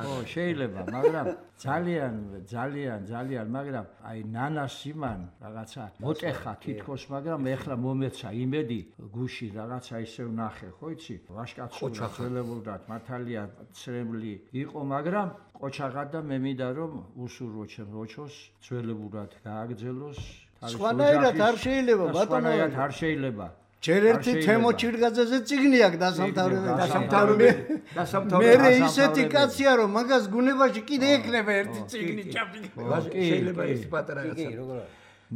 ხო, შეიძლება, მაგრამ ძალიან, ძალიან, ძალიან, მაგრამ აი ნანას იმან რაღაცა მოტეხა თითქოს, მაგრამ ეხლა მომეცა იმედი გუში რაღაცა ისე ვნახე, ხო იცი? ვაშკაცურა ძველებურად მართალია ცრემლი იყო, მაგრამ ყოჩაღა და მე მინდა რომ უსურვო ჩემ ოჩოს ძველებურად გააგრძელოს. სხვანაირად არ შეიძლება, ბატონო, არ შეიძლება. ჯერ ერთი თემო ჩირგაძეზე წიგნი აქვს დასამთავრებელი დასამთავრებელი დასამთავრებელი მე ისეთი კაცია რომ მაგას გუნებაში კიდე ექნება ერთი წიგნი ჩაფიქრე შეიძლება ეს პატარა რაცა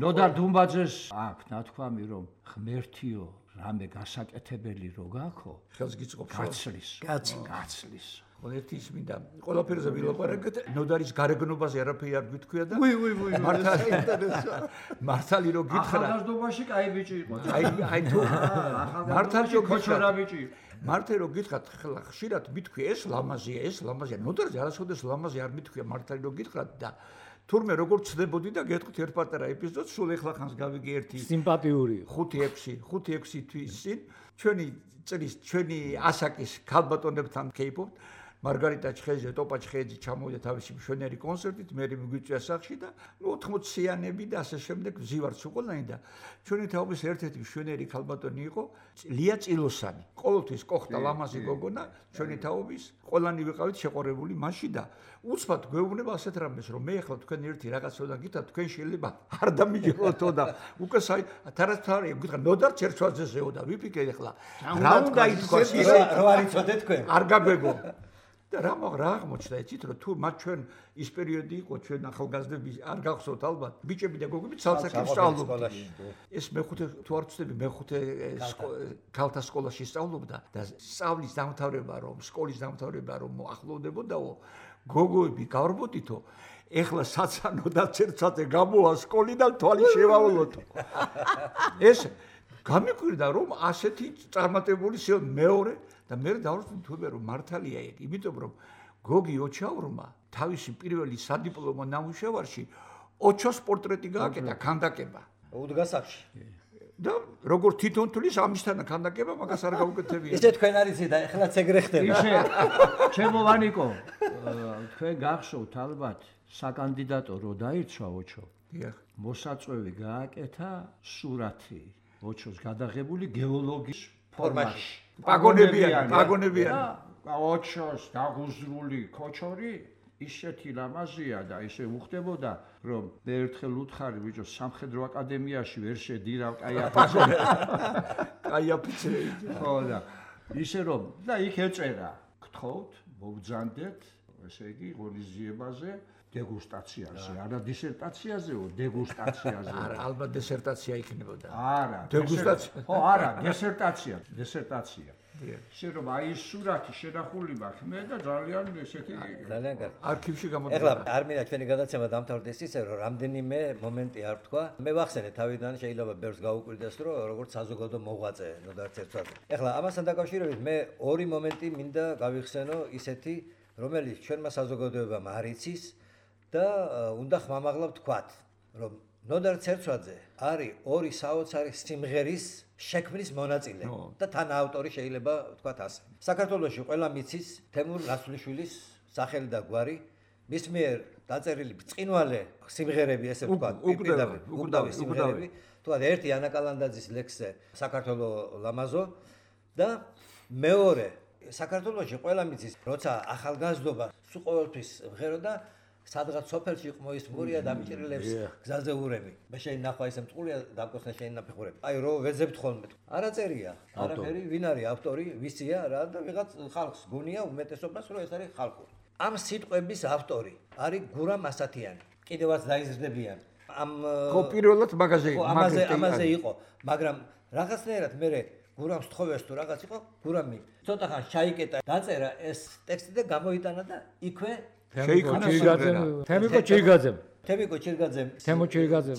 ნოდარ დუმბაძეს აქვს ნათქვამი რომ ღმერთიო რამე გასაკეთებელი რო გაქო ხელს გიწყობს გაცლის გაცლის ერთი ის მინდა ყველაფერზე ვილაპარაკეთ ნოდარის გარეგნობაზე არაფერი არ გითქვია და ვი ვი ვი მართალი რო გითხრა ახალგაზრდობაში კაი ბიჭი იყო აი აი თუ მართალი რო გითხრა ბიჭი მართალი რო გითხრათ ხლა ხშირად მითქვი ეს ლამაზია ეს ლამაზია ნოდარზე არასოდეს ლამაზი არ მითქვია მართალი რო გითხრათ და თურმე როგორ ცდებოდი და გეტყვით ერთ პატარა ეპიზოდს სულ ეხლა ხანს გავიგე ერთი სიმპათიური ხუთი ექვსი ხუთი ექვსი თვის წინ ჩვენი წრის ჩვენი ასაკის ქალბატონებთან кейპობთ მარგარიტა ჩხეიძე, ტოპა ჩხეიძე ჩამოვიდა თავისი მშვენიერი კონცერტით, მე მიგვიწვია სახში და ოთხმოციანები და ასე შემდეგ ვზივართ უყოლანი და ჩვენი თაობის ერთ-ერთი მშვენიერი ქალბატონი იყო ლია წილოსანი. ყოველთვის ყოხდა ლამაზი გოგონა, ჩვენი თაობის ყველანი ვიყავით შეყორებული მასში და უცბად გვეუბნება ასეთ რამეს, რომ მე ახლა თქვენ ერთი რაღაცოდან გითხრათ, თქვენ შეიძლება არ დამიჯეროთო და უკვე საი თარათარია გითხრა ნოდარ ჩერჩვაძეზეო და ვიფიქრე ახლა რა უნდა ითქვას ისე რო არ იცოდეთ თქვენ არ გაგეგო და რა რა აღმოჩნდა იცით რომ თუ მათ ჩვენ ის პერიოდი იყო ჩვენ ახალგაზრდები არ გახსოვთ ალბათ ბიჭები და გოგოები ცალსახელს სწავლობდნენ ეს მეხუთე თუ არ ვწდები მეხუთე ქალთა სკოლაში სწავლობდა და სწავლის დამთავრება რომ სკოლის დამთავრება რომ ახლოვდებოდაო გოგოები გავრბოდითო ეხლა საცანო და ცერცაძე გამოვა სკოლიდან თვალი შევავლოთო ეს გამიკვირდა რომ ასეთი წარმატებული სიო მეორე და მე დავვრჩი თუმე რომ მართალია ეგ იმიტომ რომ გოგი ოჩაურმა თავისი პირველი სადიპლომო ნამუშევარში ოჩოს პორტრეტი გააკეთა ქანდაკება უდგასახში და როგორ თვითონ თulis ამისთანა ქანდაკება მაგას არ გაუკეთებია ისე თქვენ არიცი და ეხლაც ეგრე ხდება ისე ჩემო ვანიკო თქვენ გახსოვთ ალბათ საკანდიდატო რო დაიცვა ოჩო დიახ მოსაწვევი გააკეთა სურათი ოჩოს გადაღებული გეოლოგის ფორმაში პაგონებიანი პაგონებიანი ოჩოს დაღუზრული კოჩორი ისეთი ლამაზია და ისე უხდებოდა რომ მე ერთხელ უთხარი ბიჭო სამხედრო აკადემიაში ვერ შედირავ კაიაფიცე კაიაფიცე ხო და ისე რომ და იქ ეწერა გთხოვთ მოგძანდეთ ესე იგი ღონისძიებაზე დეგუსტაციაზე, არა დისერტაციაზეო, დეგუსტაციაზე. არა, ალბათ დისერტაცია იქნებოდა. არა, დეგუსტაცია. ხო, არა, დისერტაცია, დისერტაცია. ისე რომ აი ეს სურათი შენახული მაქვს მე და ძალიან ესეთი ძალიან კარგი. არქივში გამოდიოდა. ეხლა არ მინდა ჩვენი გადაცემა დამთავრდეს ისე რომ რამდენიმე მომენტი არ თქვა. მე ვახსენე თავიდან შეიძლება ბევრს გაუკვირდეს რომ როგორც საზოგადო მოღვაწე ნოდარ ცერცვაძე. ეხლა ამასთან დაკავშირებით მე ორი მომენტი მინდა გავიხსენო ისეთი რომელიც ჩვენმა საზოგადოებამ არ იცის და უნდა ხმამაღლა ვთქვათ რომ ნოდარ ცერცვაძე არის ორი საოცარი სიმღერის შექმნის მონაწილე და თან ავტორი შეიძლება ვთქვათ ასე. საქართველოში ყველა მიცის თემურ ნაცვლიშვილის სახელი და გვარი, მის მიერ დაწერილი ბრწყინვალე სიმღერები, ესე ვთქვათ, უკვდავი სიმღერები, ვთქვათ, ერთი ანა კალანდაძის ლექსზე საქართველო ლამაზო და მეორე საქართველოში ყველა მიცის, როცა ახალგაზრდობა სულ ყოველთვის მღეროდა სადღაც სოფელში ყმოისმურია დამჭრილებს გზაზე ურემი. მე შეიძლება ისე მწყულია დამკოსნა შეიძლება ფეხურები. აი რო ვეძებთ ხოლმე. არაწერია, არაფერი, ვინ არის ავტორი, ვისია რა და ვიღაც ხალხს გონია უმეტესობას რომ ეს არის ხალხური. ამ სიტყვების ავტორი არის გურამ ასათიანი. კიდევაც დაიზრდებიან. ამ ხო პირველად მაგაზე ამაზე ამაზე იყო, მაგრამ რაღაცნაირად მე გურამს თხოვეს თუ რაღაც იყო, გურამი ცოტა ხან ჩაიკეტა, დაწერა ეს ტექსტი და გამოიტანა და იქვე შეიქმნა სიმღერა. თემიკო ჩირგაძემ. თემიკო ჩირგაძემ. თემო ჩირგაძემ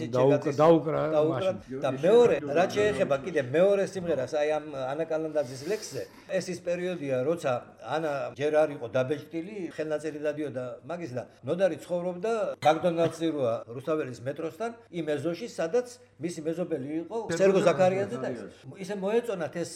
დაუკრა მაშინ. და მეორე, რაც შეეხება კიდე მეორე სიმღერას, აი ამ ანა კალანდაძის ლექსზე, ეს ის პერიოდია, როცა ანა ჯერ არ იყო დაბეჭდილი, ხელნაწერი დადიოდა მაგის და ნოდარი ცხოვრობდა მაკდონალდსი როა რუსთაველის მეტროსთან, იმ ეზოში, სადაც მისი მეზობელი იყო სერგო ზაქარიაძე და ისე მოეწონათ ეს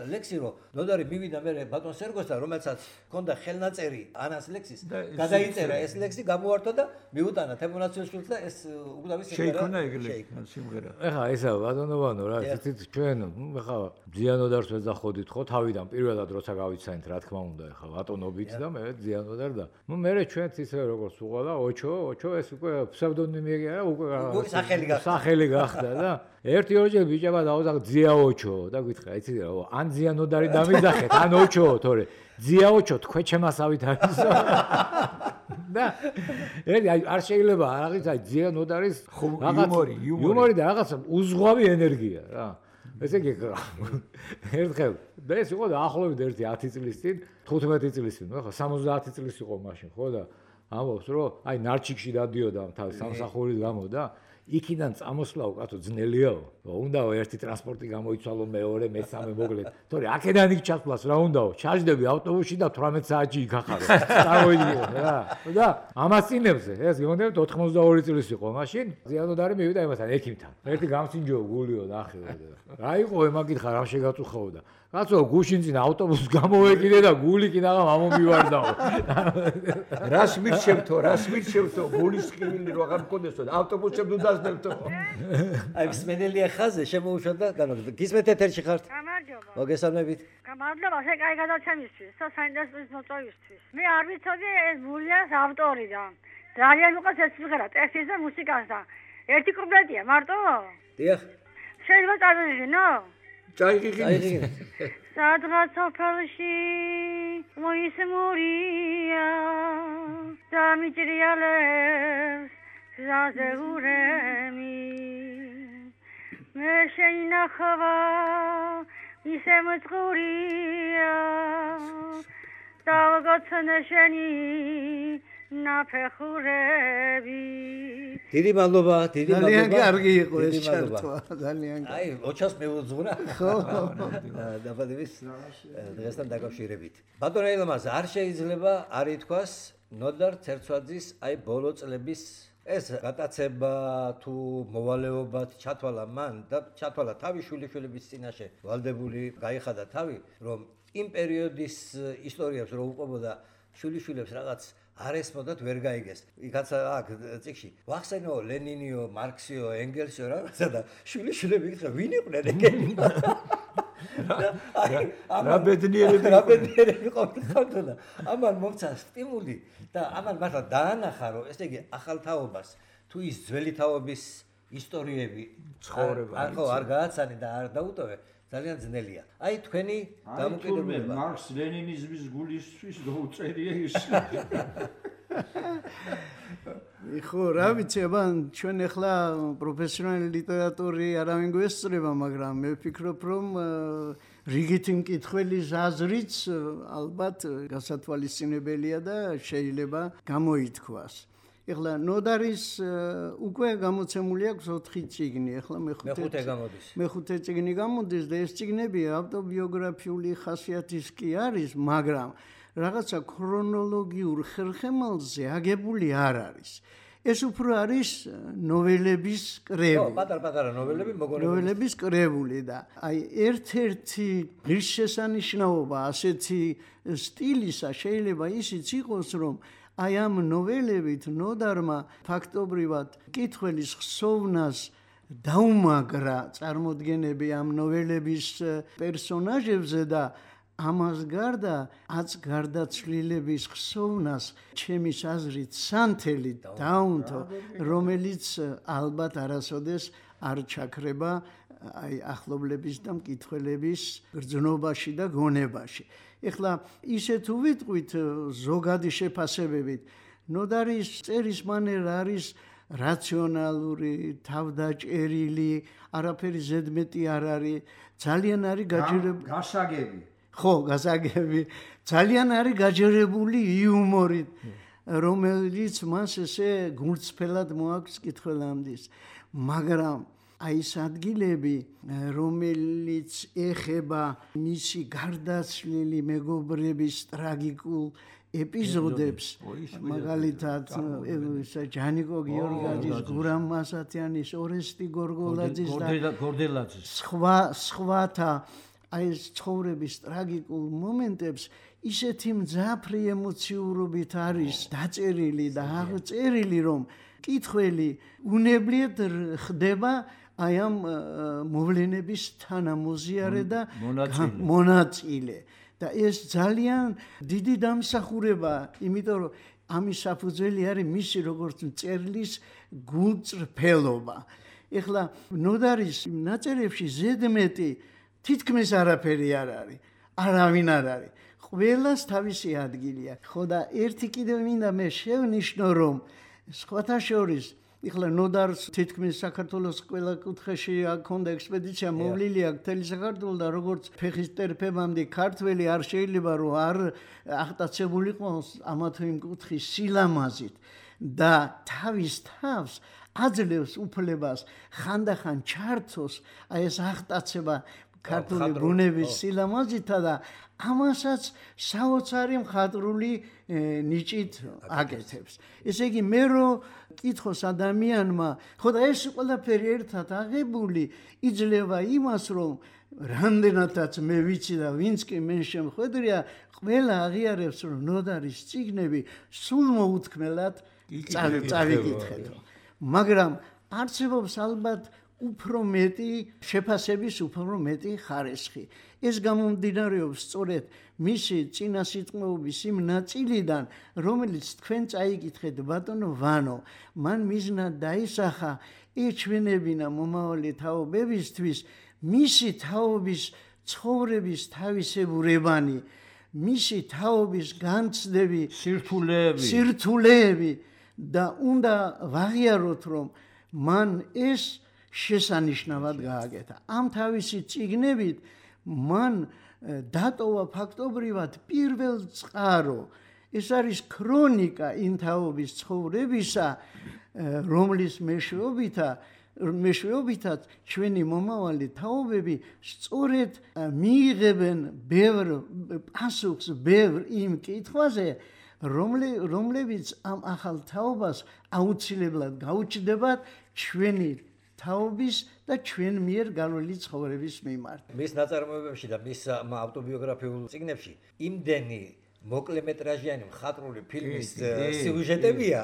ლექსი, რომ ნოდარი მივიდა მე ბატონ სერგოსთან, რომელსაც ჰქონდა ხელნაწერი ანას ლექსის, გადაიწერა ეს ლექსი, გამოართვა და მიუტანა თემონაც და ეს უკდავი შეიქმნა ეგრე სიმღერა. ეხლა ესა ბატონოვანო რა იცით ჩვენ ეხლა ზიანოდარს ვეძახოდით ხო თავიდან პირველად როცა გავიცანით რა თქმა უნდა ეხლა ბატონობით და მე ზიანოდარ და ნუ მე ჩვენც ისე როგორც უყალა ოჩო ოჩო ეს უკვე ფსევდონიმი არა უკვე სახელი გახდა სახელი გახდა და ერთი ორჯერ ბიჭებმა დაუძახა ზია ოჩო და გითხრა იცით რა ან ზიანოდარი დამიძახეთ ან ოჩო თორე ზია ოჩო თქვენ ჩემასავით არის და ერთი არ შეიძლება რაღაც აი ზიანოდარის იუმორი იუმორი და რაღაც უზღვავი ენერგია რა ესე იგი ერთხელ და ეს იყო დაახლოებით ერთი ათი წლის წინ თხუთმეტი წლის წინ ხო სამოცდაათი წლის იყო მაშინ ხო და ამბობს რომ აი ნარჩიკში დადიოდა თავის სამსახურის გამო და იქიდან წამოსვლაო კაცო ძნელიაო უნდაო ერთი ტრანსპორტი გამოიცვალო მეორე მესამე მოკლედ თორე აქედან იქ ჩასვლას რა უნდაო ჩაჯდები ავტობუსში და თვრამეტ საათში იქ ახარო წავიდიო რა და ამასწინებზე ეს გონდებით ოთხმოცდაორი წლის იყო მაშინ ზიანოდარი მივიდა იმასთან ექიმთან ერთი გამსინჯო გულიო ნახე რა იყო ემაგითხა რა შეგაწუხაოდა კაცო გუშინ წინ ავტობუსს გამოვეკიდე და გული კიდე ამომივარდაო რას მირჩევთო რას მირჩევთო გულის ხილი რო აღარ მქონდესო ავტობუსებს უდასდებთო აი მსმენელია ხაზე შემოუშვა და განაგდა გისმეთ ეთერში ხართ გამარჯობა მოგესალმებით გამარჯობა შე კაი გადაცემისთვის და საინტერესო მოწვევისთვის მე არ ვიცოდი ეს გულიას ავტორი და ძალიან უყურს ეს სიმღერა ტექსტის და მუსიკას და ერთი კუპლეტია მარტო დიახ შეიძლება წავიღინო წაიღიღინე სადღაც სოფელში მოისმურია დამჭრიალებს გზაზე ურემი მე შეინახვა ისე მწყურია დავგოცნე შენი ნაფეხურები დიდი მადლობა დიდი მადლობა ძალიან კარგი იყო ეს ჩართვა ძალიან აი ოჩას მეუძღვრა ხო დაბადების დღესთან დაკავშირებით ბატონ ელმაზ არ შეიძლება არ ითქვას ნოდარ ცერცვაძის აი ბოლო წლების ეს გატაცება თუ მოვალეობად ჩათვალა მან და ჩათვალა თავი შვილიშვილების წინაშე ვალდებული გაიხადა თავი რომ იმ პერიოდის ისტორიებს რო უყვებოდა შვილიშვილებს რაღაც არ ესმოდათ ვერ გაიგეს. იქაც აქ წიგში ვახსენო ლენინიო, მარქსიო, ენგელსიო რაღაცა და შვილიშვილები იხა ვინ იყვნენ ეგენი? რა ბედნიერები რა ბედნიერები ყოფილიყავდა და ამან მომცა სტიმული და ამან მართლა დაანახა რომ ესე იგი ახალ თაობას თუ ის ძველი თაობის ისტორიები ცხოვრება არ ხო არ გააცანი და არ დაუტოვე ძალიან ძნელია. აი თქვენი დამოკიდებულება მარქს ლენინიზმის გულისთვის დაუწერია ის. იხო რა ვიცი აბან ჩვენ ახლა პროფესიონალი ლიტერატური არავინ გვესწრება მაგრამ მე ვფიქრობ რომ რიგითი მკითხველის აზრიც ალბათ გასათვალისწინებელია და შეიძლება გამოითქვას. ეხლა ნოდარის უკვე გამოცემული აქვს ოთხი წიგნი, ეხლა მეხუთე გამოდის. მეხუთე წიგნი გამოდის და ეს წიგნები ავტობიოგრაფიული ხასიათის კი არის, მაგრამ რაღაცა ქრონოლოგიურ ხერხემალზე აგებული არ არის. ეს უფრო არის ნოველების კრებული. ო, პატარ-პატარა ნოველები მოგონებული. ნოველების კრებული და აი ერთ-ერთი ღირსშესანიშნაობა ასეთი სტილისა შეიძლება ისიც იყოს, რომ აი ამ ნოველებით ნოდარმა ფაქტობრივად კითხველის ხსოვნას დაუმაგრა წარმოდგენები ამ ნოველების პერსონაჟებზე და ამას გარდა აც გარდაცვლილების ხსოვნას ჩემის აზრით სანთელი დაუნთო, რომელიც ალბათ არასოდეს არ ჩაქრება აი ახლობლების და მკითხველების გრძნობაში და გონებაში. ეხლა ისე თუ ვიტყვით ზოგადი შეფასებებით, ნოდარის წერის მანერა არის რაციონალური, თავდაჭერილი, არაფერი ზედმეტი არ არის, ძალიან არის გაჯერებული. გასაგები. ხო, გასაგები. ძალიან არის გაჯერებული იუმორით, რომელიც მას ესე გულწრფელად მოაქვს კითხველამდის. მაგრამ აი ეს ადგილები, რომელიც ეხება მისი გარდაცვლილი მეგობრების ტრაგიკულ ეპიზოდებს, მაგალითად ჯანიკო გიორგაძის, გურამ მასათიანის, ორესტი გორგოლაძის და გორდელაძის სხვა სხვათა აი ეს ცხოვრების ტრაგიკულ მომენტებს ისეთი მძაფრი ემოციურობით არის დაწერილი და აღწერილი, რომ კითხველი უნებლიეთ ხდება აი ამ მოვლენების თანამოზიარე და მონაწილე. და ეს ძალიან დიდი დამსახურებაა, იმიტომ რომ ამის საფუძველი არის მისი როგორც მწერლის გულწრფელობა. ეხლა ნოდარის ნაწერებში ზედმეტი თითქმის არაფერი არ არის, არავინ არ არის. ყველას თავისი ადგილია. ხო და ერთი კიდევ მინდა მე შევნიშნო, რომ სხვათა შორის ეხლა ნოდარს თითქმის საქართველოს ყველა კუთხეში აქონდა ექსპედიცია მოვლილი აქ მთელი საქართველო და როგორც ფეხის ტერფებამდე ქართველი არ შეიძლება რომ არ აღტაცებულიყო ამა თუ იმ კუთხის სილამაზით და თავის თავს აძლევს უფლებას ხანდახან ჩართოს აი ეს აღტაცება ქართული ბუნების სილამაზითა და ამასაც საოცარი მხატვრული ნიჭით აკეთებს. ესე იგი მე რო კითხოს ადამიანმა, ხო და ეს ყველაფერი ერთად აღებული იძლევა იმას, რომ რამდენადაც მე ვიცი და ვინც კი მე შემხვედრია, ყველა აღიარებს, რომ ნოდარის წიგნები სულ მოუთქმელად წავიკითხეთო. მაგრამ არსებობს ალბათ უფრო მეტი შეფასების უფრო მეტი ხარისხი. ეს გამომდინარეობს სწორედ მისი წინასიტყვეობის იმ ნაწილიდან, რომელიც თქვენ წაიკითხეთ ბატონო ვანო, მან მიზნად დაისახა ეჩვენებინა მომავალი თაობებისთვის მისი თაობის ცხოვრების თავისებურებანი, მისი თაობის განცდები, სირთულეები, სირთულეები და უნდა ვაღიაროთ, რომ მან ეს შესანიშნავად გააკეთა. ამ თავისი წიგნებით მან დატოვა ფაქტობრივად პირველ წყარო. ეს არის ქრონიკა იმ თაობის ცხოვრებისა, რომლის მეშვეობითა მეშვეობითაც ჩვენი მომავალი თაობები სწორედ მიიღებენ ბევრ პასუხს, ბევრ იმ კითხვაზე, რომლებიც ამ ახალ თაობას აუცილებლად გაუჩნდებათ ჩვენი თაობის და ჩვენ მიერ გავლილი ცხოვრების მიმართ. მის ნაწარმოებებში და მის ავტობიოგრაფიულ წიგნებში იმდენი მოკლემეტრაჟიანი მხატვრული ფილმის სიუჟეტებია,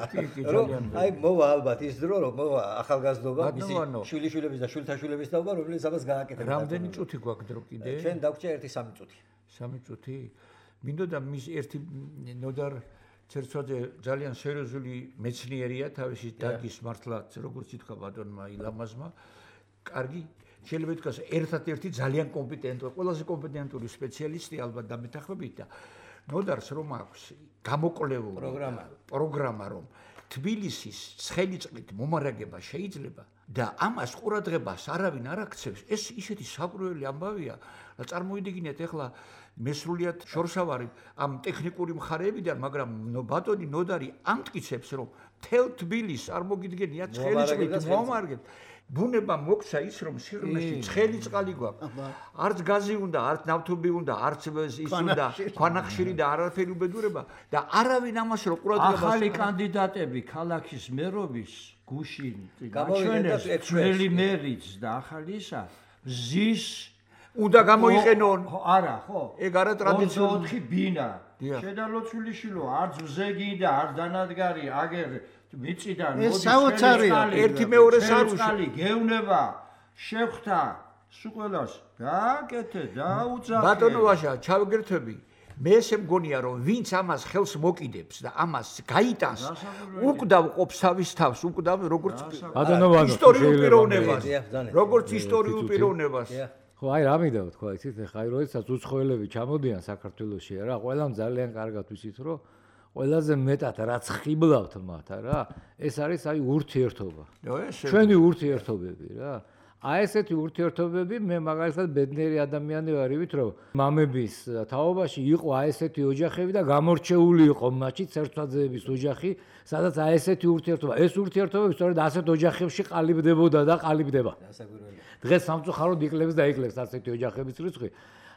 რომ აი მოვა ალბათ ის დრო, რომ მოვა ახალგაზრდობა, მისი შვილიშვილების და შვილთაშვილების თაობა, რომელიც ამას გააკეთებდა. რამდენი წუთი გვაქვს დრო კიდე? ჩვენ დაგვჭირდა ერთი სამი წუთი. სამი წუთი? მინდოდა მის ერთი ნოდარ ცერცვაძე ძალიან სერიოზული მეცნიერია, თავისი დაგის მართლაც, როგორც ითქვა ბატონმა ილამაზმა, კარგი, შეიძლება ითქვას, ერთად-ერთი ძალიან კომპეტენტური, ყველაზე კომპეტენტური სპეციალისტი ალბათ დამეთანხმებით და ნოდარს რომ აქვს გამოკვლეული პროგრამა, პროგრამა რომ თბილისის ცხელი წყლით მომარაგება შეიძლება და ამას ყურადღებას არავინ არ აქცევს, ეს ისეთი საყურებელი ამბავია, რა წარმოიდგინეთ ახლა მესრულიად შორსავარი ამ ტექნიკური მხარეებიდან, მაგრამ ბატონი ნოდარი ამტკიცებს, რომ მთელ თბილისს არ მოგიდგენია ცხელი წყლით მომარაგება. ბუნება მოგცა ის რომ სიღრმეში ცხელი წყალი გვაქვს. არც გაზი უნდა, არც ნავთობი უნდა, არც ის უნდა, ქვანახშირი და არაფერი უბედურება და არავინ ამას რო ყურადღებას ახალი კანდიდატები ქალაქის მერობის გუშინ გაჩვენეს ძველი მერიც და ახალისა ზის უნდა გამოიყენონ. არა, ხო? ეგ არა ტრადიციული ოთხი ბინა. შედალოცვილიშვილო, არც ზეგი და არც დანადგარი აგერ მიწიდან მოდის საოცარია ერთი მეორეს არ უშალი გეუნება შევხთა სულ ყველას გააკეთე და უძახე ბატონო ვაშა ჩავგერთები მე ესე მგონია რომ ვინც ამას ხელს მოკიდებს და ამას გაიტანს უკვდავ ყოფს თავის თავს უკვდავ როგორც ბატონო ვაშა ისტორიულ პიროვნებას როგორც ისტორიულ პიროვნებას ხო აი რა მინდა თქვა იცით ხა აი როდესაც უცხოელები ჩამოდიან საქართველოში რა ყველამ ძალიან კარგად ვიცით რომ ყველაზე მეტად რაც ხიბლავთ მათ რა ეს არის აი ურთიერთობა ჩვენი ურთიერთობები რა აი ესეთი ურთიერთობები მე მაგალითად ბედნიერი ადამიანი ვარივით რომ მამების თაობაში იყო აი ესეთი ოჯახები და გამორჩეული იყო მათში ცერცვაძეების ოჯახი სადაც აი ესეთი ურთიერთობა ეს ურთიერთობები სწორედ ასეთ ოჯახებში ყალიბდებოდა და ყალიბდება დღეს სამწუხაროდ იკლებს და იკლებს ასეთი ოჯახების რიცხვი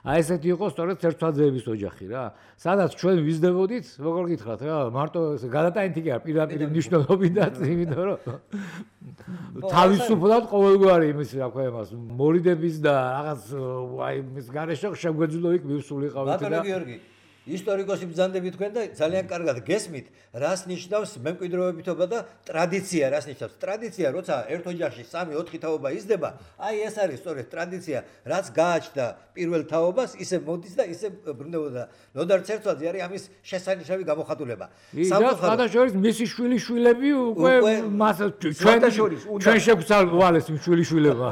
აი ესეთი იყო სწორედ ცერცვაძეების ოჯახი რა სადაც ჩვენ ვიზდებოდით როგორ გითხრათ რა მარტო გადატანითი კი არ პირდაპირ მნიშვნელობითაც იმიტომ რომ თავისუფლად ყოველგვარი იმის რა ქვია მას მორიდების და რაღაც აი მის გარეშე შეგვეძლო იქ მივსულიყავით და ბატონო გიორგი ისტორიკოსი ბრძანდები თქვენ და ძალიან კარგად გესმით რას ნიშნავს მემკვიდრეობითობა და ტრადიცია რას ნიშნავს ტრადიცია როცა ერთ ოჯახში სამი ოთხი თაობა იზრდება აი ეს არის სწორედ ტრადიცია რაც გააჩნდა პირველ თაობას ისე მოდის და ისე ბრუნდებოდა ნოდარ ცერცვაძე არის ამის შესანიშნავი გამოხატულება სამწუხაროდ მისი შვილიშვილები უკვე მას ჩვენ ჩვენ შეგვცვალეს იმ შვილიშვილებმა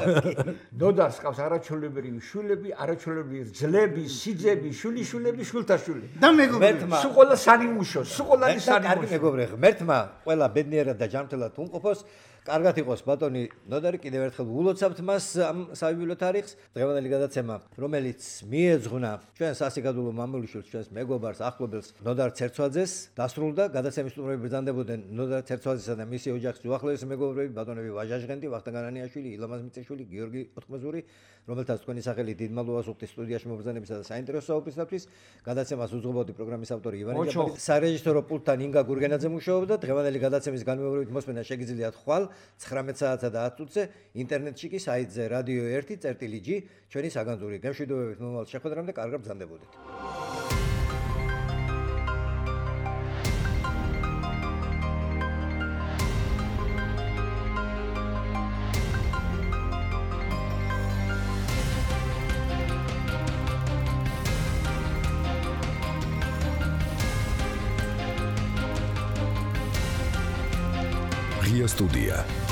ნოდარს ყავს არაჩვეულებრივი შვილები არაჩვეულებრივი ძლები სიძები შვილიშვილები შვილთაშვილი და მეგობრებმა სულ ყველა სანიმუშო სულ ყველანი სანიმუშო კარგი მეგობრე ღმერთმა ყველა ბედნიერად და ჯანმრთელად უმყოფოს კარგად იყოს ბატონი ნოდარი კიდევ ერთხელ ულოცავთ მას ამ საიუბილეო თარიღს დღევანდელი გადაცემა რომელიც მიეძღვნა ჩვენ სასიკადულო მამულიშვილს ჩვენს მეგობარს ახლობელს ნოდარ ცერცვაძეს დასრულდა გადაცემის სტუმრები ბრძანდებოდნენ ნოდარ ცერცვაძესა და მისი ოჯახის უახლოესი მეგობრები ბატონები ვაჟაჟღენდი ვახტანგ განანიაშვილი ილამაზ მიწიშვილი გიორგი ოთხმაზური რომელთაც თქვენი სახელი დიდმალ უასუხთის სტუდიაში მობრძანებისა და საინტერესო საუბრისათვის გადაცემას უძღვებოდი პროგრამის ავტორი ივანე ჯაბარი სარეჟისორო პულტთან ინგა გურგენაძე მუშაობდა დღევანდელი გადაცემის განმეორებით მოსმენა შეგიძლიათ ხვალ ცხრამეტ საათსა და ათ წუთზე ინტერნეტში კი საიტზე რადიო ერთი წერტილი ჯი ჩვენი საგანძური გემშვიდობებით მომავალ შეხვედრამდე კარგად ბრძანდებოდეთ Студия.